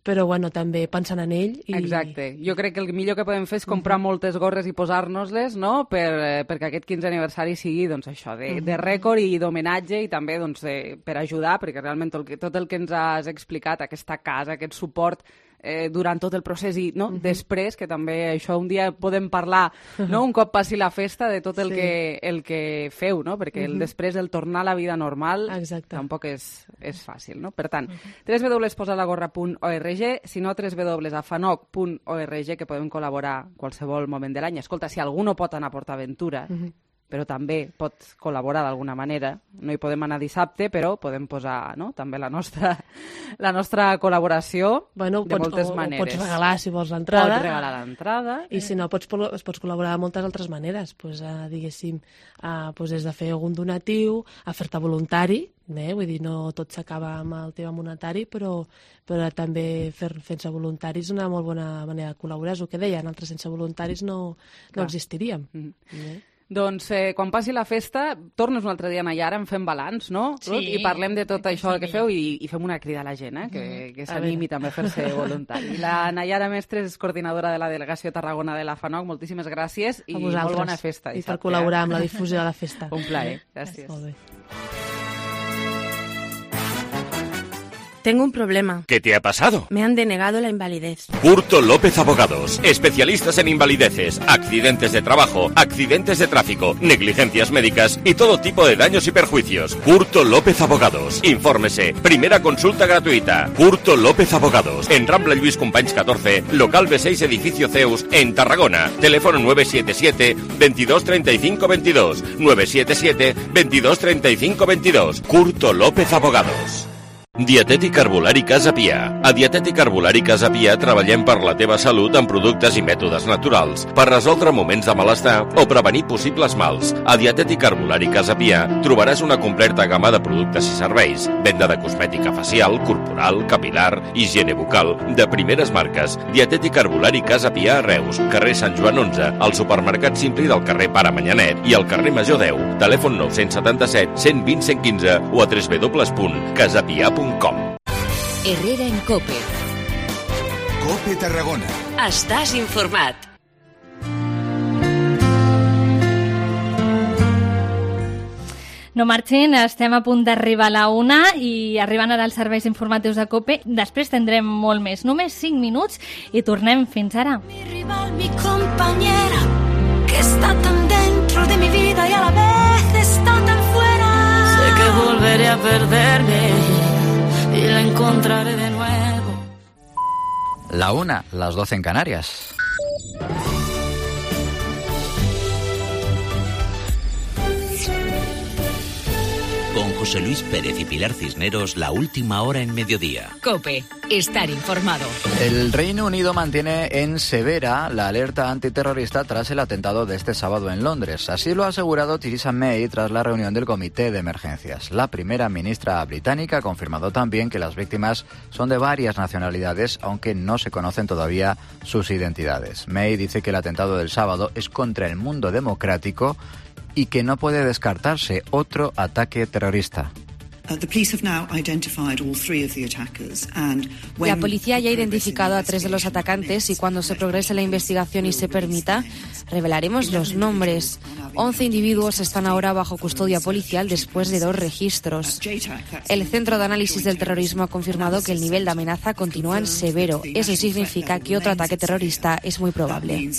Però, bueno, també pensant en ell. I... Exacte. Jo crec que el millor que podem fer és comprar uh -huh. moltes gorres i posar-nos-les, no?, per, eh, perquè aquest quinzè aniversari sigui, doncs, això, de, uh -huh. de rècord i d'homenatge i també, doncs, de, per ajudar, perquè realment tot el, que, tot el que ens has explicat, aquesta casa, aquest suport eh, durant tot el procés i no? uh -huh. després, que també això un dia podem parlar, no?, un cop passi la festa, de tot el, sí. que, el que feu, no?, perquè uh -huh. el després, el tornar a la vida normal, Exacte. tampoc és, és fàcil, no? Per tant, uh -huh. w w w punt posatlagorra punt org, si no, w w w punt fanoc punt org, que podem col·laborar qualsevol moment de l'any. Escolta, si algú no pot anar a PortAventura, uh -huh. però també pot col·laborar d'alguna manera, no hi podem anar dissabte, però podem posar, no?, també la nostra, la nostra col·laboració bueno, de pots, moltes o, maneres. O pots regalar, si vols, l'entrada. Pots regalar l'entrada. I si no, pots, pots col·laborar de moltes altres maneres. Pues, uh, diguéssim, uh, pues, des de fer algun donatiu, a fer-te voluntari, eh? Vull dir, no tot s'acaba amb el tema monetari, però, però també fer, fent-se voluntaris és una molt bona manera de col·laborar. És el que deia, nosaltres sense voluntaris no, no existiríem. Mm. Eh? Doncs eh, quan passi la festa, tornes un altre dia a Nayara, en fem balanç, no? Sí, Ruth? I parlem de tot això sí, que feu i, i fem una crida a la gent, eh? que, que A s'animi veure. també a fer-se voluntari. La Nayara Mestres és coordinadora de la Delegació Tarragona de la FANOC. Moltíssimes gràcies i A molt vosaltres. bona festa. I per dissabte, col·laborar eh? amb la difusió de la festa. Un plaer. Gràcies. Molt bé. Tengo un problema. ¿Qué te ha pasado? Me han denegado la invalidez. Curto López Abogados, especialistas en invalideces, accidentes de trabajo, accidentes de tráfico, negligencias médicas y todo tipo de daños y perjuicios. Curto López Abogados. Infórmese. Primera consulta gratuita. Curto López Abogados. En Rambla Lluís Companys catorce, local B seis, edificio Zeus, en Tarragona. Teléfono nueve siete siete, veintidós treinta y cinco veintidós. nueve siete siete, veintidós treinta y cinco veintidós. Curto López Abogados. Dietètic Herbolari Casa Pia. A Dietètic Herbolari Casa Pia treballem per la teva salut amb productes i mètodes naturals, per resoldre moments de malestar o prevenir possibles mals. A Dietètic Herbolari Casa Pia trobaràs una completa gamma de productes i serveis, venda de cosmètica facial, corporal, capilar, higiene bucal, de primeres marques. Dietètic Herbolari Casa Pia a Reus, carrer Sant Joan onze, al supermercat Simpli del carrer Pare Manyanet i al carrer Major deu. Telèfon nou setanta set, cent vint, cent quinze o a w w w punt casapia punt com. Herrera en Cope. Cope Tarragona. Estàs informat. No marxin, estem a punt d'arribar a la una i arribant ara als serveis informatius de COPE. Després tindrem molt més, només cinc minuts i tornem fins ara. Mi rival, mi compañera, que está tan dentro de mi vida y a la vez está tan fuera. Sé que volveré a perderme y la encontraré de nuevo. La una, las doce en Canarias. Con José Luis Pérez y Pilar Cisneros, la última hora en mediodía. COPE. Estar informado. El Reino Unido mantiene en severa la alerta antiterrorista tras el atentado de este sábado en Londres. Así lo ha asegurado Theresa May tras la reunión del Comité de Emergencias. La primera ministra británica ha confirmado también que las víctimas son de varias nacionalidades, aunque no se conocen todavía sus identidades. May dice que el atentado del sábado es contra el mundo democrático y que no puede descartarse otro ataque terrorista. La policía ya ha identificado a tres de los atacantes y cuando se progrese la investigación y se permita, revelaremos los nombres. Once individuos están ahora bajo custodia policial después de dos registros. El Centro de Análisis del Terrorismo ha confirmado que el nivel de amenaza continúa en severo. Eso significa que otro ataque terrorista es muy probable.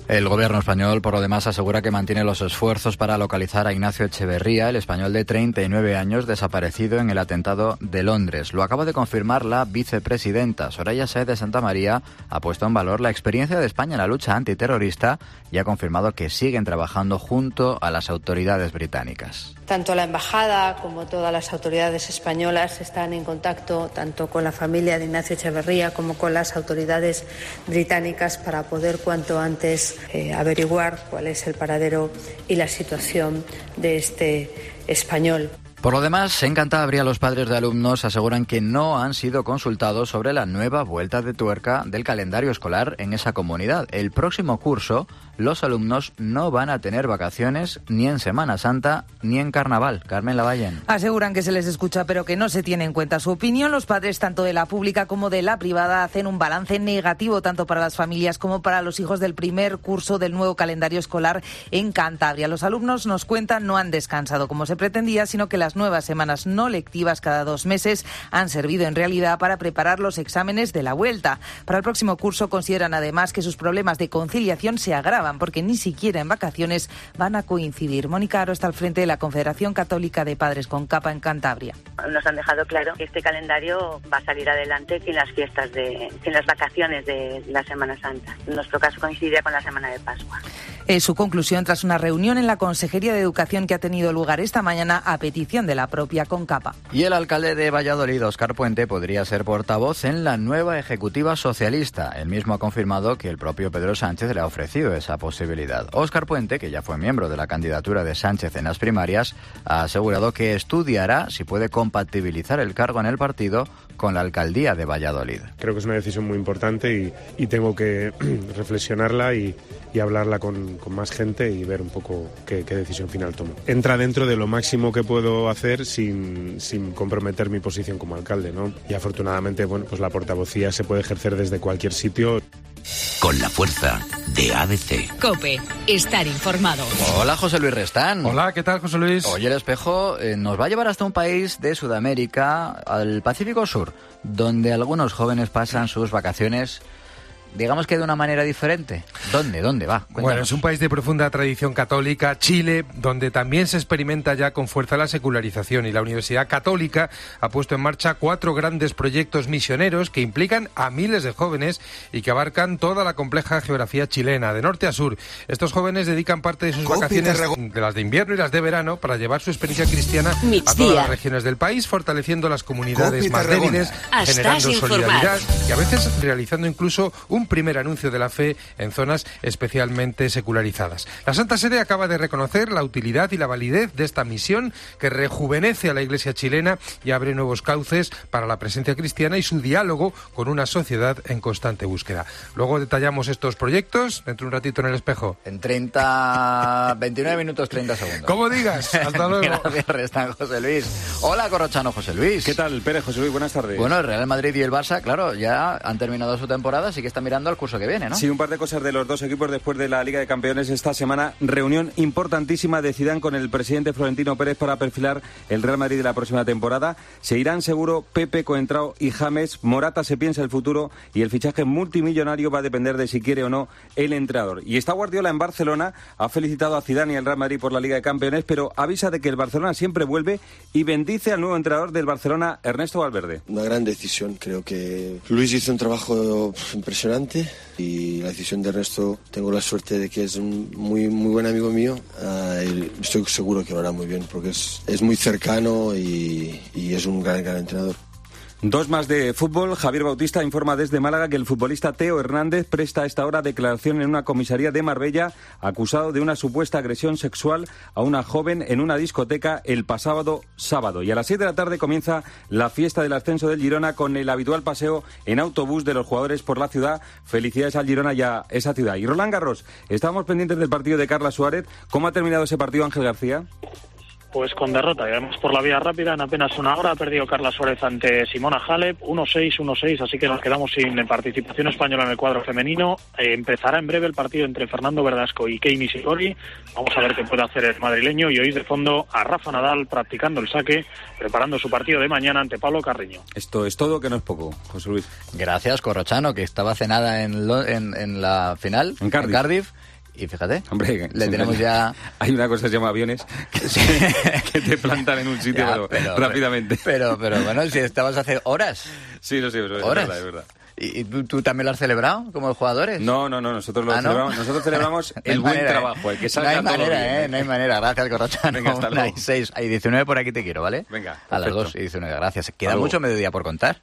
El gobierno español, por lo demás, asegura que mantiene los esfuerzos para localizar a Ignacio Echeverría, el español de treinta y nueve años desaparecido en el atentado de Londres. Lo acaba de confirmar la vicepresidenta. Soraya Sáez de Santamaría ha puesto en valor la experiencia de España en la lucha antiterrorista y ha confirmado que siguen trabajando junto a las autoridades británicas. Tanto la embajada como todas las autoridades españolas están en contacto tanto con la familia de Ignacio Echeverría como con las autoridades británicas para poder cuanto antes eh, averiguar cuál es el paradero y la situación de este español. Por lo demás, en Cantabria los padres de alumnos aseguran que no han sido consultados sobre la nueva vuelta de tuerca del calendario escolar en esa comunidad. El próximo curso, los alumnos no van a tener vacaciones ni en Semana Santa ni en Carnaval. Carmen Lavallén. Aseguran que se les escucha pero que no se tiene en cuenta su opinión. Los padres tanto de la pública como de la privada hacen un balance negativo tanto para las familias como para los hijos del primer curso del nuevo calendario escolar en Cantabria. Los alumnos, nos cuentan, no han descansado como se pretendía, sino que las nuevas semanas no lectivas cada dos meses han servido en realidad para preparar los exámenes de la vuelta. Para el próximo curso consideran además que sus problemas de conciliación se agravan porque ni siquiera en vacaciones van a coincidir. Mónica Aro está al frente de la Confederación Católica de Padres con Capa en Cantabria. Nos han dejado claro que este calendario va a salir adelante sin las fiestas, de, sin las vacaciones de la Semana Santa. En nuestro caso coincidiría con la Semana de Pascua. Es su conclusión tras una reunión en la Consejería de Educación que ha tenido lugar esta mañana a petición de la propia Concapa. Y el alcalde de Valladolid, Óscar Puente, podría ser portavoz en la nueva ejecutiva socialista. Él mismo ha confirmado que el propio Pedro Sánchez le ha ofrecido esa posibilidad. Óscar Puente, que ya fue miembro de la candidatura de Sánchez en las primarias, ha asegurado que estudiará si puede compatibilizar el cargo en el partido con la alcaldía de Valladolid. Creo que es una decisión muy importante y, y tengo que reflexionarla y, y hablarla con, con más gente y ver un poco qué, qué decisión final tomo. Entra dentro de lo máximo que puedo hacer sin, sin comprometer mi posición como alcalde, ¿no? Y afortunadamente, bueno, pues la portavocía se puede ejercer desde cualquier sitio. Con la fuerza de A D C. COPE. Estar informado. Hola, José Luis Restán. Hola, ¿qué tal, José Luis? Hoy El Espejo eh, nos va a llevar hasta un país de Sudamérica, al Pacífico Sur, donde algunos jóvenes pasan sus vacaciones, digamos que de una manera diferente. ¿Dónde? ¿Dónde va? Cuéntanos. Bueno, es un país de profunda tradición católica, Chile, donde también se experimenta ya con fuerza la secularización, y la Universidad Católica ha puesto en marcha cuatro grandes proyectos misioneros que implican a miles de jóvenes y que abarcan toda la compleja geografía chilena, de norte a sur. Estos jóvenes dedican parte de sus vacaciones, de las de invierno y las de verano, para llevar su experiencia cristiana a todas las regiones del país, fortaleciendo las comunidades más débiles, generando solidaridad y a veces realizando incluso un primer anuncio de la fe en zonas especialmente secularizadas. La Santa Sede acaba de reconocer la utilidad y la validez de esta misión que rejuvenece a la Iglesia chilena y abre nuevos cauces para la presencia cristiana y su diálogo con una sociedad en constante búsqueda. Luego detallamos estos proyectos dentro de un ratito en El Espejo. En treinta, veintinueve minutos treinta segundos. Como digas, hasta luego. Gracias, Restán, José Luis. Hola, Corrochano, José Luis. ¿Qué tal, Pérez, José Luis? Buenas tardes. Bueno, el Real Madrid y el Barça, claro, ya han terminado su temporada, así que están mirando al curso que viene, ¿no? Sí, un par de cosas de los dos equipos después de la Liga de Campeones esta semana. Reunión importantísima de Zidane con el presidente Florentino Pérez para perfilar el Real Madrid de la próxima temporada. Se irán seguro Pepe, Coentrao y James. Morata se piensa el futuro y el fichaje multimillonario va a depender de si quiere o no el entrenador. Y está Guardiola en Barcelona, ha felicitado a Zidane y al Real Madrid por la Liga de Campeones, pero avisa de que el Barcelona siempre vuelve y bendice al nuevo entrenador del Barcelona, Ernesto Valverde. Una gran decisión, creo que Luis hizo un trabajo impresionante adelante y la decisión de Ernesto, tengo la suerte de que es un muy, muy buen amigo mío. Uh, estoy seguro que lo hará muy bien porque es, es muy cercano y, y es un gran, gran entrenador. Dos más de fútbol. Javier Bautista informa desde Málaga que el futbolista Teo Hernández presta a esta hora declaración en una comisaría de Marbella acusado de una supuesta agresión sexual a una joven en una discoteca el pasado sábado. Y a las siete de la tarde comienza la fiesta del ascenso del Girona con el habitual paseo en autobús de los jugadores por la ciudad. Felicidades al Girona y a esa ciudad. Y Roland Garros, estábamos pendientes del partido de Carla Suárez. ¿Cómo ha terminado ese partido, Ángel García? Pues con derrota, y además por la vía rápida, en apenas una hora ha perdido Carla Suárez ante Simona Halep, uno seis, uno seis, así que nos quedamos sin participación española en el cuadro femenino. Eh, empezará en breve el partido entre Fernando Verdasco y Kei Nishikori. Vamos a ver qué puede hacer el madrileño y oír de fondo a Rafa Nadal practicando el saque, preparando su partido de mañana ante Pablo Carreño. Esto es todo, que no es poco, José Luis. Gracias, Corrochano, que estaba cenada en, lo, en, en la final, en Cardiff. En Cardiff. Y fíjate, hombre, le tenemos ya... Hay una cosa que se llama aviones que, que te plantan en un sitio, ya, pero, pero rápidamente. Pero, pero bueno, si estabas hace horas. Sí, lo sé, es horas. verdad, es verdad. ¿Y tú, tú también lo has celebrado como los jugadores? No, no, no, nosotros lo ¿Ah, no? celebramos, nosotros celebramos el no buen manera, trabajo, el que salga no hay todo manera, bien. Eh, no hay manera, gracias, Corrochano. Venga, hasta luego. Hay seis, hay diecinueve por aquí te quiero, ¿vale? Venga, a las dos y diecinueve, gracias. Queda mucho mediodía por contar.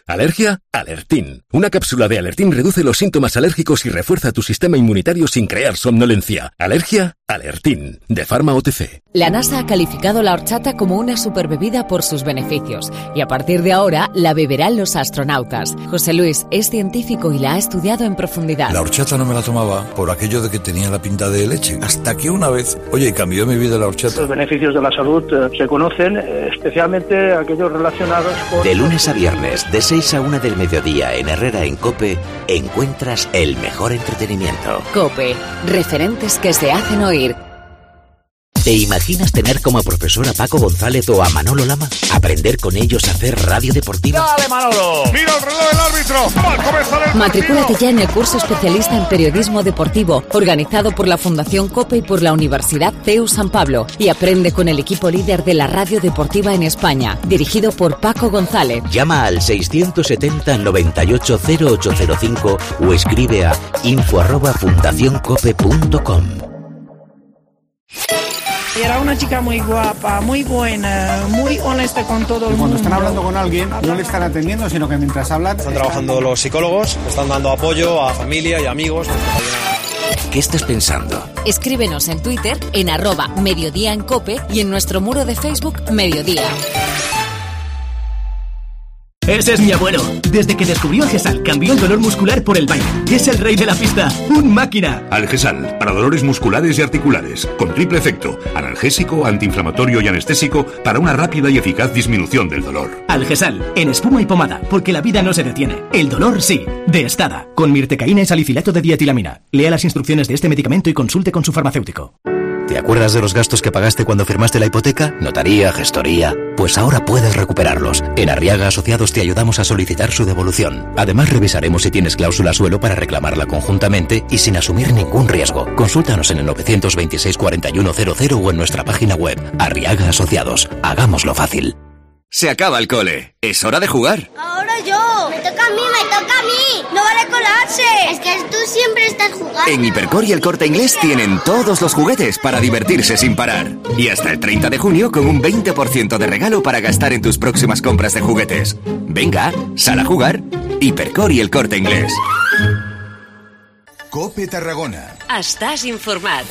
¿Alergia? Alertín. Una cápsula de Alertín reduce los síntomas alérgicos y refuerza tu sistema inmunitario sin crear somnolencia. ¿Alergia? Alertín. De Pharma O T C. La NASA ha calificado la horchata como una superbebida por sus beneficios y a partir de ahora la beberán los astronautas. José Luis es científico y la ha estudiado en profundidad. La horchata no me la tomaba por aquello de que tenía la pinta de leche. Hasta que una vez, oye, cambió mi vida la horchata. Los beneficios de la salud eh, se conocen, eh, especialmente aquellos relacionados con... De lunes a viernes, de seis a una del mediodía en Herrera en COPE, encuentras el mejor entretenimiento. COPE, referentes que se hacen oír. ¿Te imaginas tener como profesor a Paco González o a Manolo Lama? ¿Aprender con ellos a hacer radio deportiva? ¡Dale, Manolo! ¡Mira el reloj del árbitro! ¡Va a comenzar el Matricúlate ya en el curso especialista en periodismo deportivo, organizado por la Fundación COPE y por la Universidad C E U San Pablo, y aprende con el equipo líder de la radio deportiva en España, dirigido por Paco González. Llama al seiscientos setenta, noventa y ocho, cero ocho cero cinco o escribe a info arroba fundación cope punto com. Era una chica muy guapa, muy buena, muy honesta con todo el mundo. Cuando están hablando con alguien, no le están atendiendo, sino que mientras hablan... Están trabajando los psicólogos, están dando apoyo a familia y amigos. ¿Qué estás pensando? Escríbenos en Twitter, en arroba Mediodía en Cope y en nuestro muro de Facebook Mediodía. Ese es mi abuelo. Desde que descubrió Algesal, cambió el dolor muscular por el baile. Es el rey de la pista. ¡Un máquina! Algesal, para dolores musculares y articulares. Con triple efecto. Analgésico, antiinflamatorio y anestésico para una rápida y eficaz disminución del dolor. Algesal, en espuma y pomada, porque la vida no se detiene. El dolor sí. De Estada. Con mirtecaína y salicilato de dietilamina. Lea las instrucciones de este medicamento y consulte con su farmacéutico. ¿Te acuerdas de los gastos que pagaste cuando firmaste la hipoteca? Notaría, gestoría... Pues ahora puedes recuperarlos. En Arriaga Asociados te ayudamos a solicitar su devolución. Además, revisaremos si tienes cláusula suelo para reclamarla conjuntamente y sin asumir ningún riesgo. Consúltanos en el nueve dos seis, cuatro uno cero cero o en nuestra página web. Arriaga Asociados. Hagámoslo fácil. Se acaba el cole. Es hora de jugar. Ahora yo. Me toca a mí, me toca a mí. No vale colarse. Es que tú siempre estás jugando. En Hipercor y El Corte Inglés tienen todos los juguetes para divertirse sin parar. Y hasta el treinta de junio con un veinte por ciento de regalo para gastar en tus próximas compras de juguetes. Venga, sal a jugar. Hipercor y El Corte Inglés. COPE Tarragona. Estàs informat.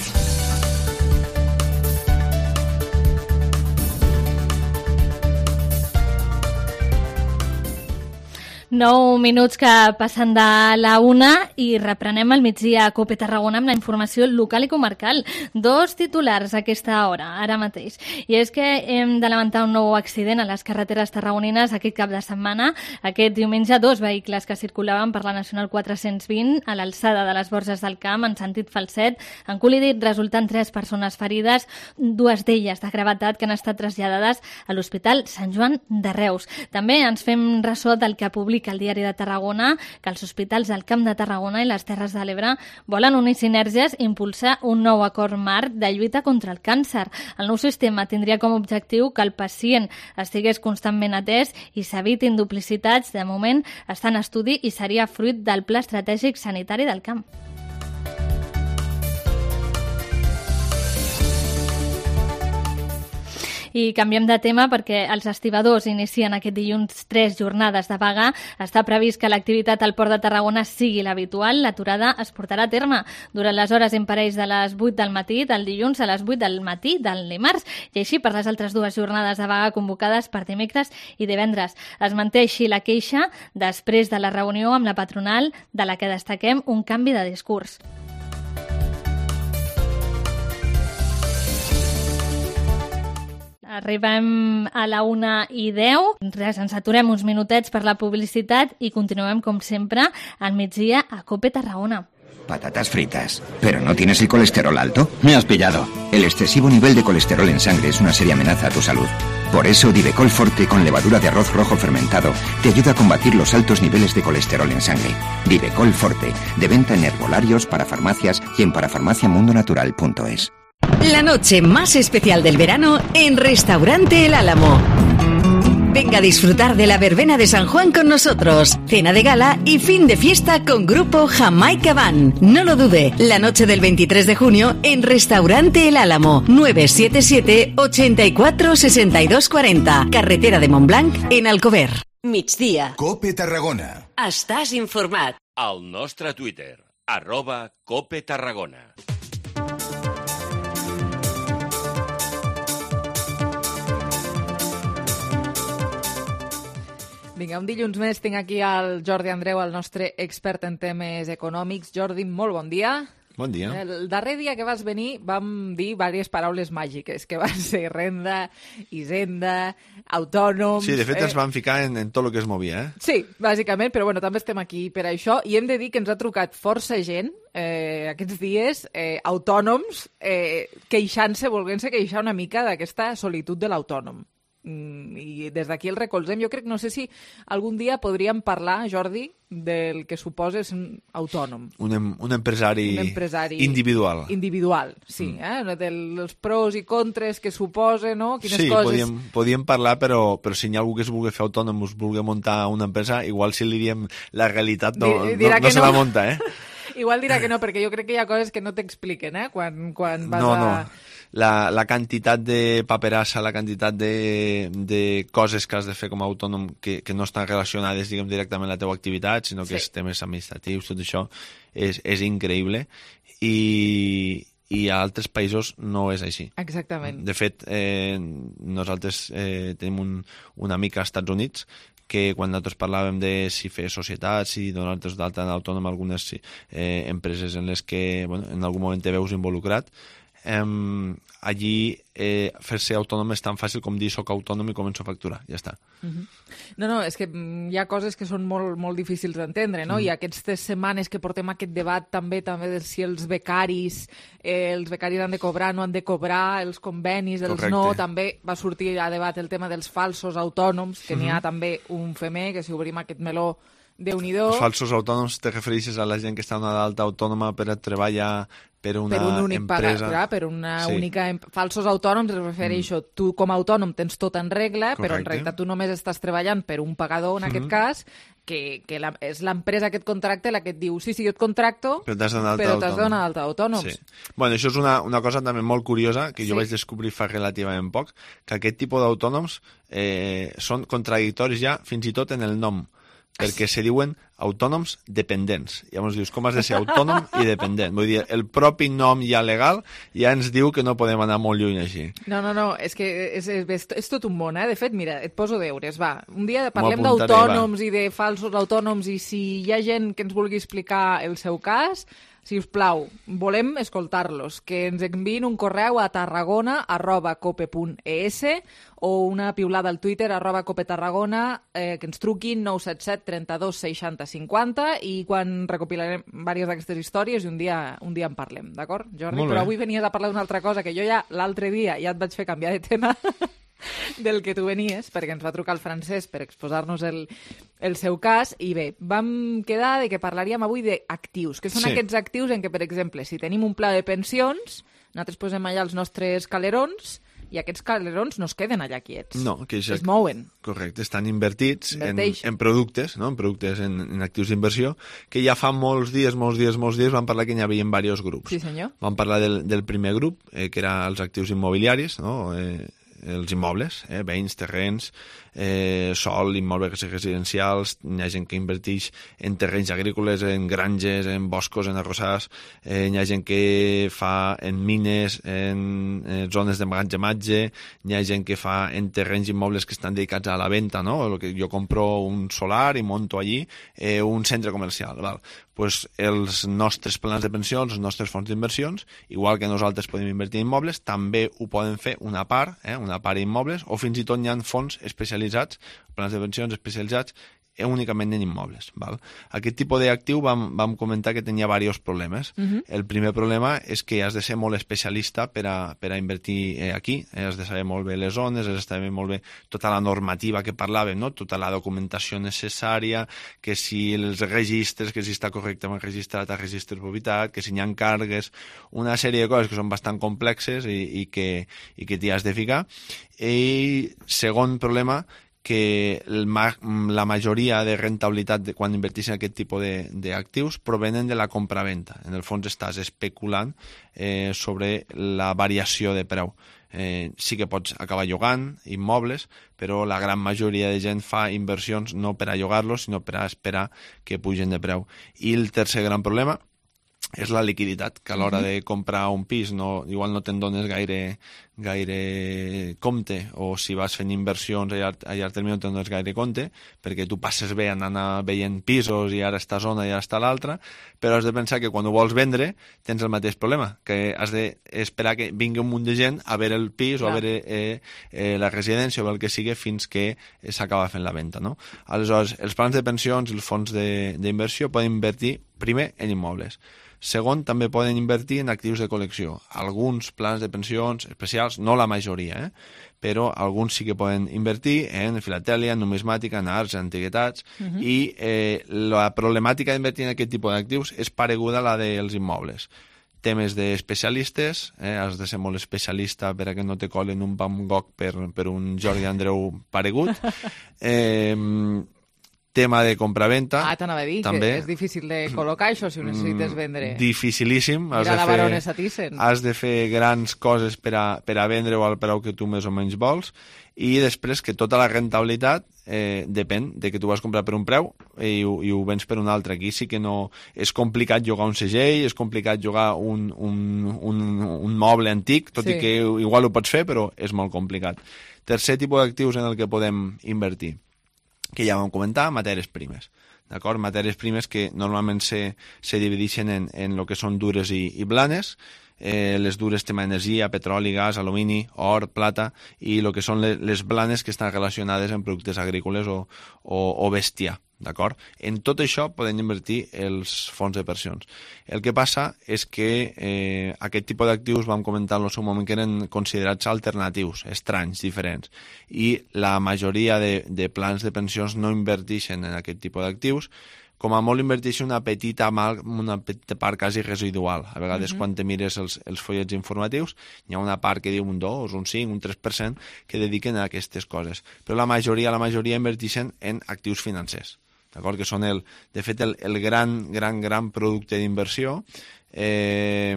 Nou minuts que passen de la una i reprenem al migdia a COPE Tarragona amb la informació local i comarcal. Dos titulars a aquesta hora, ara mateix. I és que hem de lamentar un nou accident a les carreteres tarragonines aquest cap de setmana. Aquest diumenge, dos vehicles que circulaven per la Nacional quatre-cents vint a l'alçada de les Borges del Camp en sentit Falset han col·lidit, resultant tres persones ferides, dues d'elles de gravetat que han estat traslladades a l'Hospital Sant Joan de Reus. També ens fem ressò del que publica explica al Diari de Tarragona que els hospitals del Camp de Tarragona i les Terres de l'Ebre volen unir sinergies i impulsar un nou acord marc de lluita contra el càncer. El nou sistema tindria com a objectiu que el pacient estigués constantment atès i s'evitin duplicitats. De moment està en estudi i seria fruit del Pla Estratègic Sanitari del Camp. I canviem de tema perquè els estibadors inicien aquest dilluns tres jornades de vaga. Està previst que l'activitat al Port de Tarragona sigui l'habitual. L'aturada es portarà a terme durant les hores imparells de les vuit del matí del dilluns a les vuit del matí del dimarts i així per les altres dues jornades de vaga convocades per dimecres i divendres. Es manté així la queixa després de la reunió amb la patronal, de la que destaquem un canvi de discurs. Arribem a la una i deu. Res, ens aturem uns minutets per la publicitat i continuem, com sempre, al migdia a COPE Tarragona. Patatas fritas. ¿Pero no tienes el colesterol alto? Me has pillado. El excesivo nivel de colesterol en sangre es una seria amenaza a tu salud. Por eso, Divecol Forte con levadura de arroz rojo fermentado te ayuda a combatir los altos niveles de colesterol en sangre. Divecol Forte, de venta en herbolarios, para farmacias y en parafarmaciamundonatural punto es. La noche más especial del verano en Restaurante El Álamo. Venga a disfrutar de la verbena de San Juan con nosotros. Cena de gala y fin de fiesta con Grupo Jamaica Band. No lo dude, la noche del veintitrés de junio en Restaurante El Álamo. nueve siete siete, ochenta y cuatro, sesenta y dos cuarenta. Carretera de Montblanc, en Alcover. Migdia. Cope Tarragona. Estàs informat. Al nostre Twitter, arroba Cope Tarragona. Vinga, un dilluns més tinc aquí el Jordi Andreu, el nostre expert en temes econòmics. Jordi, molt bon dia. Bon dia. El darrer dia que vas venir vam dir diverses paraules màgiques, que van ser renda, hisenda, autònoms... Sí, de fet eh... ens vam ficar en, en tot el que es movia, eh? Sí, bàsicament, però bueno, també estem aquí per això, i hem de dir que ens ha trucat força gent eh, aquests dies, eh, autònoms, eh, queixant-se, volent-se queixar una mica d'aquesta solitud de l'autònom. I des d'aquí el recolzem. Jo crec, no sé si algun dia podríem parlar, Jordi, del que suposa ser un autònom. Un, em, un, empresari un empresari individual. Individual, sí. Mm. Eh? Dels pros i contres que suposa, no? Quines sí, coses... podíem, podíem parlar, però, però si hi ha algú que es vulgui fer autònom, es vulgui muntar una empresa, igual si li diem la realitat no, no, no se la munta, eh? Igual dirà que no, perquè jo crec que hi ha coses que no t'expliquen, eh? Quan, quan vas no, a... No. La, la quantitat de paperassa, la quantitat de, de coses que has de fer com a autònom que, que no estan relacionades, diguem, directament a la teva activitat, sinó que sí. És temes administratius, tot això és, és increïble i, i a altres països no és així. Exactament. De fet, eh, nosaltres eh, tenim un, un amic als Estats Units que quan nosaltres parlàvem de si fer societats, si donar-nos d'alta en autònom algunes eh, empreses en les que bueno, en algun moment te veus involucrat, Um, allí eh, fer-se autònom és tan fàcil com dir soc autònom i començo a facturar, ja està. Uh-huh. No, no, és que hi ha coses que són molt, molt difícils d'entendre, no? Uh-huh. I aquestes setmanes que portem aquest debat també també de si els becaris eh, els becaris han de cobrar, no han de cobrar, els convenis, els Correcte. no, també va sortir a debat el tema dels falsos autònoms, que uh-huh. n'hi ha també un femer, que si obrim aquest meló Déu-n'hi-do. Els falsos autònoms te refereixes a la gent que està en una d'alta autònoma per a treballar per una per un únic empresa. Pagar, per una sí. única... Falsos autònoms es refereixo, mm. tu com a autònom tens tot en regla, Correcte. Però en realitat tu només estàs treballant per un pagador, en mm-hmm. aquest cas, que, que la, és l'empresa que et contracta la que et diu sí, sí, jo et contracto, però t'has d'anar d'alta autònoms. Sí. Bueno, això és una, una cosa també molt curiosa que jo sí. vaig descobrir fa relativament poc, que aquest tipus d'autònoms eh, són contradictoris ja fins i tot en el nom, perquè se diuen autònoms dependents. Llavors dius, com has de ser autònom i dependent? Vull dir, el propi nom ja legal ja ens diu que no podem anar molt lluny així. No, no, no, és que és, és, és tot un món, eh? De fet, mira, et poso deures, va. Un dia parlem d'autònoms i de falsos autònoms i si hi ha gent que ens vulgui explicar el seu cas, si us plau, volem escoltar-los, que ens enviïn un correu a tarragona arroba cope punt es o una piulada al Twitter arroba copetarragona, eh, que ens truquin nou set set, trenta-dos, seixanta, cinquanta i quan recopilarem diverses d'aquestes històries i un dia, un dia en parlem, d'acord, Jordi? Però avui venies a parlar d'una altra cosa que jo ja l'altre dia ja et vaig fer canviar de tema. del que tu venies, perquè ens va trucar el Francesc per exposar-nos el, el seu cas, i bé, vam quedar de que parlaríem avui d'actius, que són Sí. aquests actius en què, per exemple, si tenim un pla de pensions, nosaltres posem allà els nostres calerons, i aquests calerons no es queden allà quiets. No, que es mouen. Correcte, estan invertits en, Inverteix. en productes, no? en productes, en, en actius d'inversió, que ja fa molts dies, molts dies, molts dies vam parlar que n'hi havia diversos grups. Sí, senyor. Vam parlar del, del primer grup, eh, que era els actius immobiliaris, no? eh, els immobles, eh, béns, terrenys, eh, sol, immobles residencials, hi ha gent que inverteix en terrenys agrícoles, en granges, en boscos, en arrossars, eh, hi ha gent que fa en mines, en, en zones d'emmagatzematge, hi ha gent que fa en terrenys immobles que estan dedicats a la venda, no? El que jo compro un solar i monto allí eh, un centre comercial, val? Pues els nostres plans de pensió, els nostres fons d'inversions, igual que nosaltres podem invertir en immobles, també ho poden fer una part, eh, una part immobles, o fins i tot hi ha fons especialitzats, plans de pensions especialitzats únicament en immobles. Val? Aquest tipus d'actiu vam, vam comentar que tenia diversos problemes. Mhm. El primer problema és que has de ser molt especialista per a, per a invertir eh, aquí, eh, has de saber molt bé les zones, has de saber molt bé tota la normativa que parlàvem, no? Tota la documentació necessària, que si els registres, que si està correctament registrat a registre de propietat, que si hi ha càrregues, una sèrie de coses que són bastant complexes i, i que, i que t'hi has de ficar. I segon problema, que el, la majoria de rentabilitat de, quan invertís en aquest tipus d'actius provenen de la compra-venta. En el fons estàs especulant eh, sobre la variació de preu. Eh, sí que pots acabar llogant immobles, però la gran majoria de gent fa inversions no per a llogar-los, sinó per a esperar que pugen de preu. I el tercer gran problema és la liquiditat, que a l'hora Mhm. de comprar un pis no, igual no te'n dones gaire, gaire compte, o si vas fent inversions a llarg, a llarg termini no te'n dones gaire compte, perquè tu passes bé anant veient pisos i ara està zona i ara està l'altra, però has de pensar que quan ho vols vendre tens el mateix problema, que has d'esperar que vingui un munt de gent a veure el pis Clar. o a veure eh, eh, la residència o el que sigui fins que s'acaba fent la venda. No? Aleshores, els plans de pensions i els fons d'inversió poden invertir primer en immobles. Segon, també poden invertir en actius de col·lecció. Alguns plans de pensions especials, no la majoria, eh? però alguns sí que poden invertir en filatèlia, en numismàtica, en arts, en antiguitats, Mhm. i eh, la problemàtica d'invertir en aquest tipus d'actius és pareguda a la dels immobles. Temes d'especialistes, eh? has de ser molt especialista per a que no te colen un Van Gogh per, per un Jordi Andreu paregut. Eh, tema de compra-venta. Ah, t'anava a dir també. que és difícil de col·locar això si ho necessites vendre. Dificilíssim. Has Mira de la fer- baronessa Thyssen. Has de fer grans coses per a, per a vendre-ho al preu que tu més o menys vols, i després que tota la rentabilitat eh, depèn de que tu vas comprar per un preu i, ho- i ho vens per un altre. Aquí sí que no... És complicat jugar un segell, és complicat jugar un, un, un, un moble antic, tot Sí. i que igual ho pots fer, però és molt complicat. Tercer tipus d'actius en el que podem invertir, que ja vam comentar, matèries primes. D'acord? Matèries primes que normalment se, se divideixen en, en el que són dures i, i blanes. Eh, les dures tema energia, petroli, gas, alumini, or, plata, i el que són les, les blanes que estan relacionades amb productes agrícoles o, o, o bestiar. D'acord? En tot això poden invertir els fons de pensions. El que passa és que eh, aquest tipus d'actius, vam comentar en el seu moment, que eren considerats alternatius, estranys, diferents, i la majoria de, de plans de pensions no inverteixen en aquest tipus d'actius, com a molt inverteixen una petita, mal, una petita part quasi residual. A vegades, Mhm. quan te mires els, els follets informatius, hi ha una part que diu un dos, un cinc, un tres per cent que dediquen a aquestes coses. Però la majoria, la majoria inverteixen en actius financers. D'acord? Que són, el, de fet, el, el gran, gran, gran producte d'inversió, eh,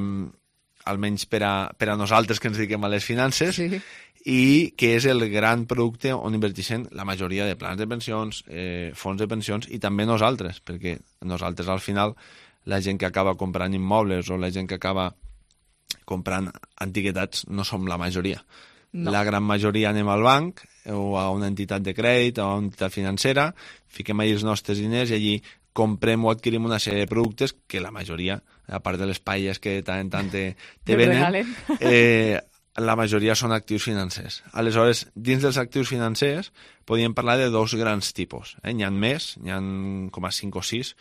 almenys per a, per a nosaltres que ens dediquem a les finances, Sí. i que és el gran producte on inverteixen la majoria de plans de pensions, eh, fons de pensions, i també nosaltres, perquè nosaltres al final, la gent que acaba comprant immobles o la gent que acaba comprant antiguitats no som la majoria. No. La gran majoria anem al banc o a una entitat de crèdit o a una entitat financera, fiquem allà els nostres diners i allí comprem o adquirim una sèrie de productes que la majoria, a part de les paelles que de tant en tant te, te Te venen, regalen. eh, la majoria són actius financers. Aleshores, dins dels actius financers podríem parlar de dos grans tipus. Eh? N'hi ha més, n'hi ha com a cinc o sis,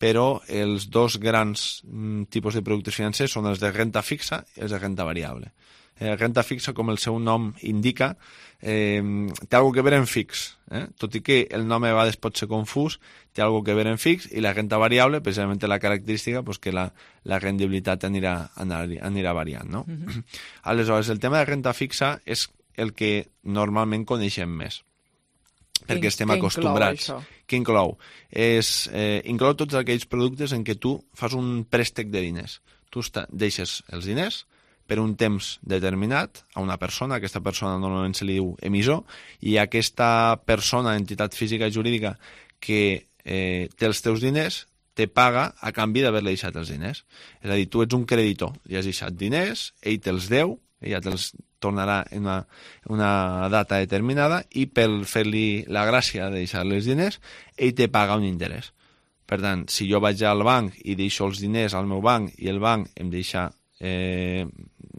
però els dos grans mm, tipus de productes financers són els de renta fixa i els de renta variable. Eh, renta fixa, com el seu nom indica, eh, té alguna que ver en fix. Eh? Tot i que el nom a vegades pot ser confús, té alguna que ver en fix, i la renta variable, precisament la característica, pues, que la, la rendibilitat anirà, anirà variant. No? Uh-huh. Aleshores, el tema de renta fixa és el que normalment coneixem més, perquè estem que acostumbrats. Inclou Què inclou? És, eh, inclou tots aquells productes en què tu fas un préstec de diners. Tu està, deixes els diners per un temps determinat a una persona, aquesta persona normalment se li diu emissor, i aquesta persona, entitat física i jurídica, que eh, té els teus diners, te paga a canvi d'haver-li deixat els diners. És a dir, tu ets un creditor, li has deixat diners, ell te'ls deu, ella te'ls tornarà en una, una data determinada, i per fer-li la gràcia de deixar-li els diners, ell te paga un interès. Per tant, si jo vaig al banc i deixo els diners al meu banc i el banc em deixa, eh,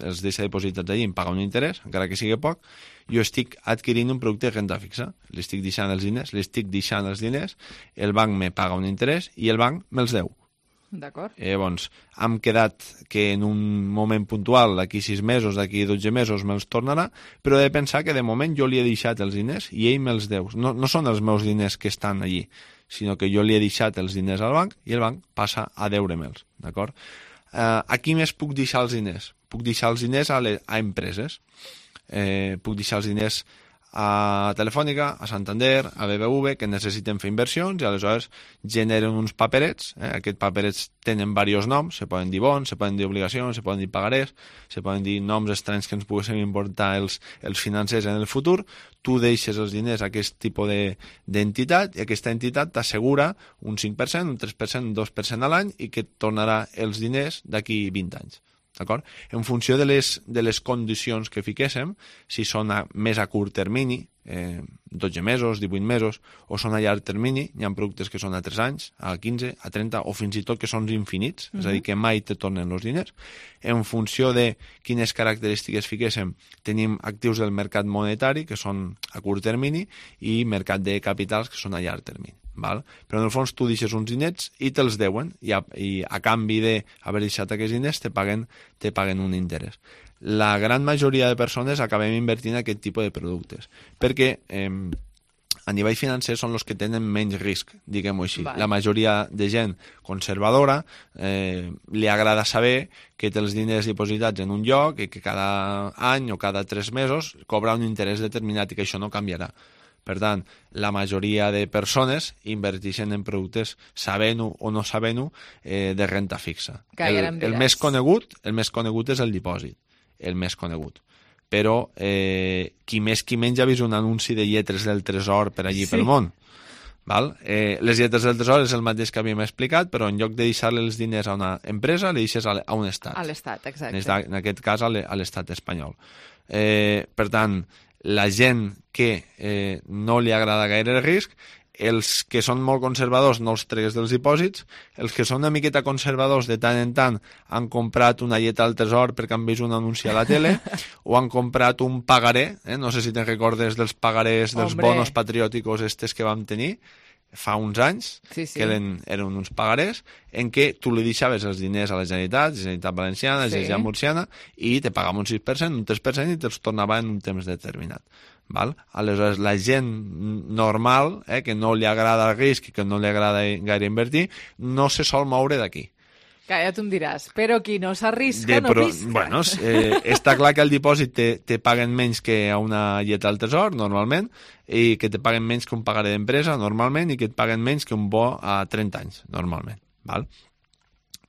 els deixa dipositats allí i em paga un interès, encara que sigui poc, jo estic adquirint un producte de renta fixa. Li estic deixant els diners, li estic deixant els diners, el banc me paga un interès i el banc me'ls deu. D'acord. Eh, doncs, hem quedat que en un moment puntual, d'aquí sis mesos, d'aquí dotze mesos, me'ls tornarà, però he de pensar que de moment jo li he deixat els diners i ell me'ls deu. No, no són els meus diners que estan allí, sinó que jo li he deixat els diners al banc i el banc passa a deure-me'ls, d'acord? Eh, a qui més puc deixar els diners? Puc deixar els diners a, les, a empreses. Eh, puc deixar els diners a Telefònica, a Santander, a B B V, que necessiten fer inversions i aleshores generen uns paperets. Eh? Aquests paperets tenen diversos noms, se poden dir bons, se poden dir obligacions, se poden dir pagarés, se poden dir noms estranys que ens poguessin importar els, els financers en el futur. Tu deixes els diners a aquest tipus d'entitat i aquesta entitat t'assegura un cinc per cent, un tres per cent, un dos per cent a l'any i que et tornarà els diners d'aquí vint anys. D'acord? En funció de les, de les condicions que fiquéssim, si són a, més a curt termini, eh, dotze mesos, divuit mesos, o són a llarg termini, hi ha productes que són a tres anys, a quinze, a trenta, o fins i tot que són infinits, mm-hmm. és a dir, que mai te tornen els diners. En funció de quines característiques fiquéssim, tenim actius del mercat monetari, que són a curt termini, i mercat de capitals, que són a llarg termini. Val? Però en el fons tu deixes uns diners i te'ls deuen i a, i a canvi d'haver deixat aquests diners te paguen, te paguen un interès. La gran majoria de persones acabem invertint en aquest tipus de productes perquè eh, a nivell financer són els que tenen menys risc, diguem-ho així. Val. La majoria de gent conservadora eh, li agrada saber que té els diners dipositats en un lloc i que cada any o cada tres mesos cobra un interès determinat i que això no canviarà. Per tant, la majoria de persones inverteixen en productes sabent-ho o no sabent-ho eh, de renta fixa. El, el més conegut, el més conegut és el dipòsit, el més conegut. Però eh, qui més qui menys ha vist un anunci de lletres del tresor per allí sí. pel món. Val? Eh, les lletres del tresor és el mateix que havíem explicat, però en lloc de deixar-li els diners a una empresa, li deixes a, a un estat. A l'estat, exacte. En, en aquest cas, a l'estat espanyol. Eh, per tant, la gent que eh, no li agrada gaire el risc, els que són molt conservadors no els tregues dels dipòsits, els que són una miqueta conservadors de tant en tant han comprat una lletra al tresor perquè han vist un anunci a la tele o han comprat un pagaré, eh? No sé si te'n recordes dels pagarés, dels Hombre. bonos patriòticos estes que vam tenir fa uns anys, sí, sí. que eren, eren uns pagarés, en què tu li deixaves els diners a la Generalitat, la Generalitat Valenciana, la Generalitat sí. Murciana, i te pagava un sis per cent, un tres per cent, i te'ls tornava en un temps determinat. Val? Aleshores, la gent normal, eh, que no li agrada el risc i que no li agrada gaire invertir, no se sol moure d'aquí. Que ja tu em diràs, però qui no s'arrisca no però, pisca. Bueno, eh, està clar que al dipòsit te, te paguen menys que a una lletra al tresor, normalment, i que te paguen menys que un pagaré d'empresa, normalment, i que et paguen menys que un bo a trenta anys, normalment. Val?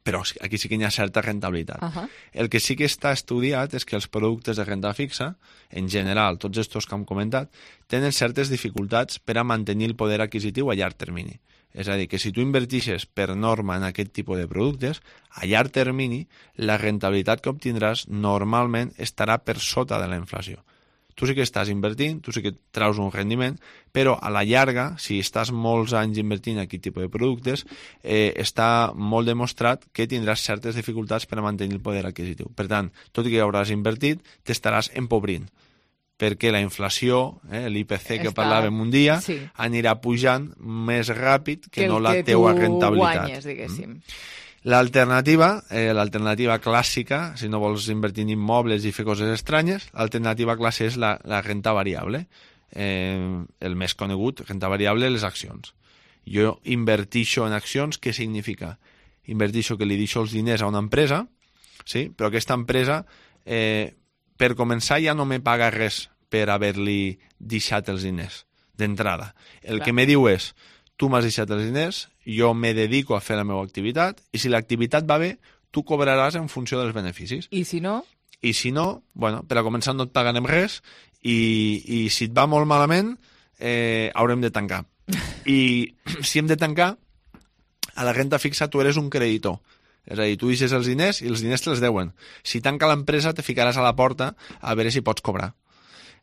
Però aquí sí que hi ha certa rentabilitat. Uh-huh. El que sí que està estudiat és que els productes de renda fixa, en general, tots estos que hem comentat, tenen certes dificultats per a mantenir el poder adquisitiu a llarg termini. És a dir, que si tu invertixes per norma en aquest tipus de productes, a llarg termini, la rentabilitat que obtindràs normalment estarà per sota de la inflació. Tu sí que estàs invertint, tu sí que traus un rendiment, però a la llarga, si estàs molts anys invertint en aquest tipus de productes, eh, està molt demostrat que tindràs certes dificultats per a mantenir el poder adquisitiu. Per tant, tot i que hauràs invertit, t'estaràs empobrint, perquè la inflació, eh, l'I P C que Està... parlàvem un dia, sí. anirà pujant més ràpid que, que no la teua rentabilitat. Guanyes, diguéssim. Mm. L'alternativa, eh, l'alternativa clàssica, si no vols invertir en immobles i fer coses estranyes, l'alternativa clàssica és la, la renta variable. Eh, el més conegut, renta variable, les accions. Jo invertixo en accions, què significa? Invertixo que li deixo els diners a una empresa, sí? Però aquesta empresa, eh, per començar, ja no me paga res per haver-li deixat els diners d'entrada. El Clar. que me diu és, tu m'has deixat els diners, jo me dedico a fer la meva activitat, i si l'activitat va bé, tu cobraràs en funció dels beneficis. I si no? I si no, bueno, per a començar no et pagarem res, i, i si et va molt malament, eh, haurem de tancar. I si hem de tancar, a la renta fixa tu eres un creditor. És a dir, tu deixes els diners i els diners te'ls deuen. Si tanca l'empresa, te ficaràs a la porta a veure si pots cobrar.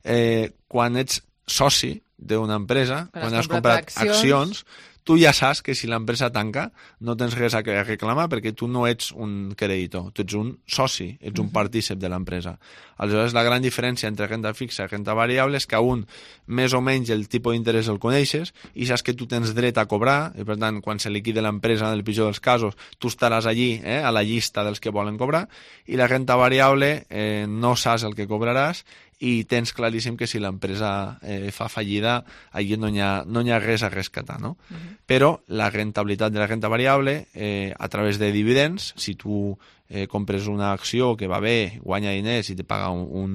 Eh, quan ets soci d'una empresa, quan, quan has comprat accions, accions, tu ja saps que si l'empresa tanca no tens res a reclamar perquè tu no ets un creditor, tu ets un soci, ets un partícip de l'empresa. Aleshores, la gran diferència entre renta fixa i renta variable és que a un més o menys el tipus d'interès el coneixes i saps que tu tens dret a cobrar i per tant, quan se liquide l'empresa, en el pitjor dels casos, tu estaràs allí, eh, a la llista dels que volen cobrar, i la renta variable eh, no saps el que cobraràs i tens claríssim que si l'empresa eh, fa fallida, allí no hi ha, no hi ha res a rescatar, no? Uh-huh. Però la rentabilitat de la renta variable, eh, a través de dividends, si tu eh, compres una acció que va bé, guanya diners i te paga un, un,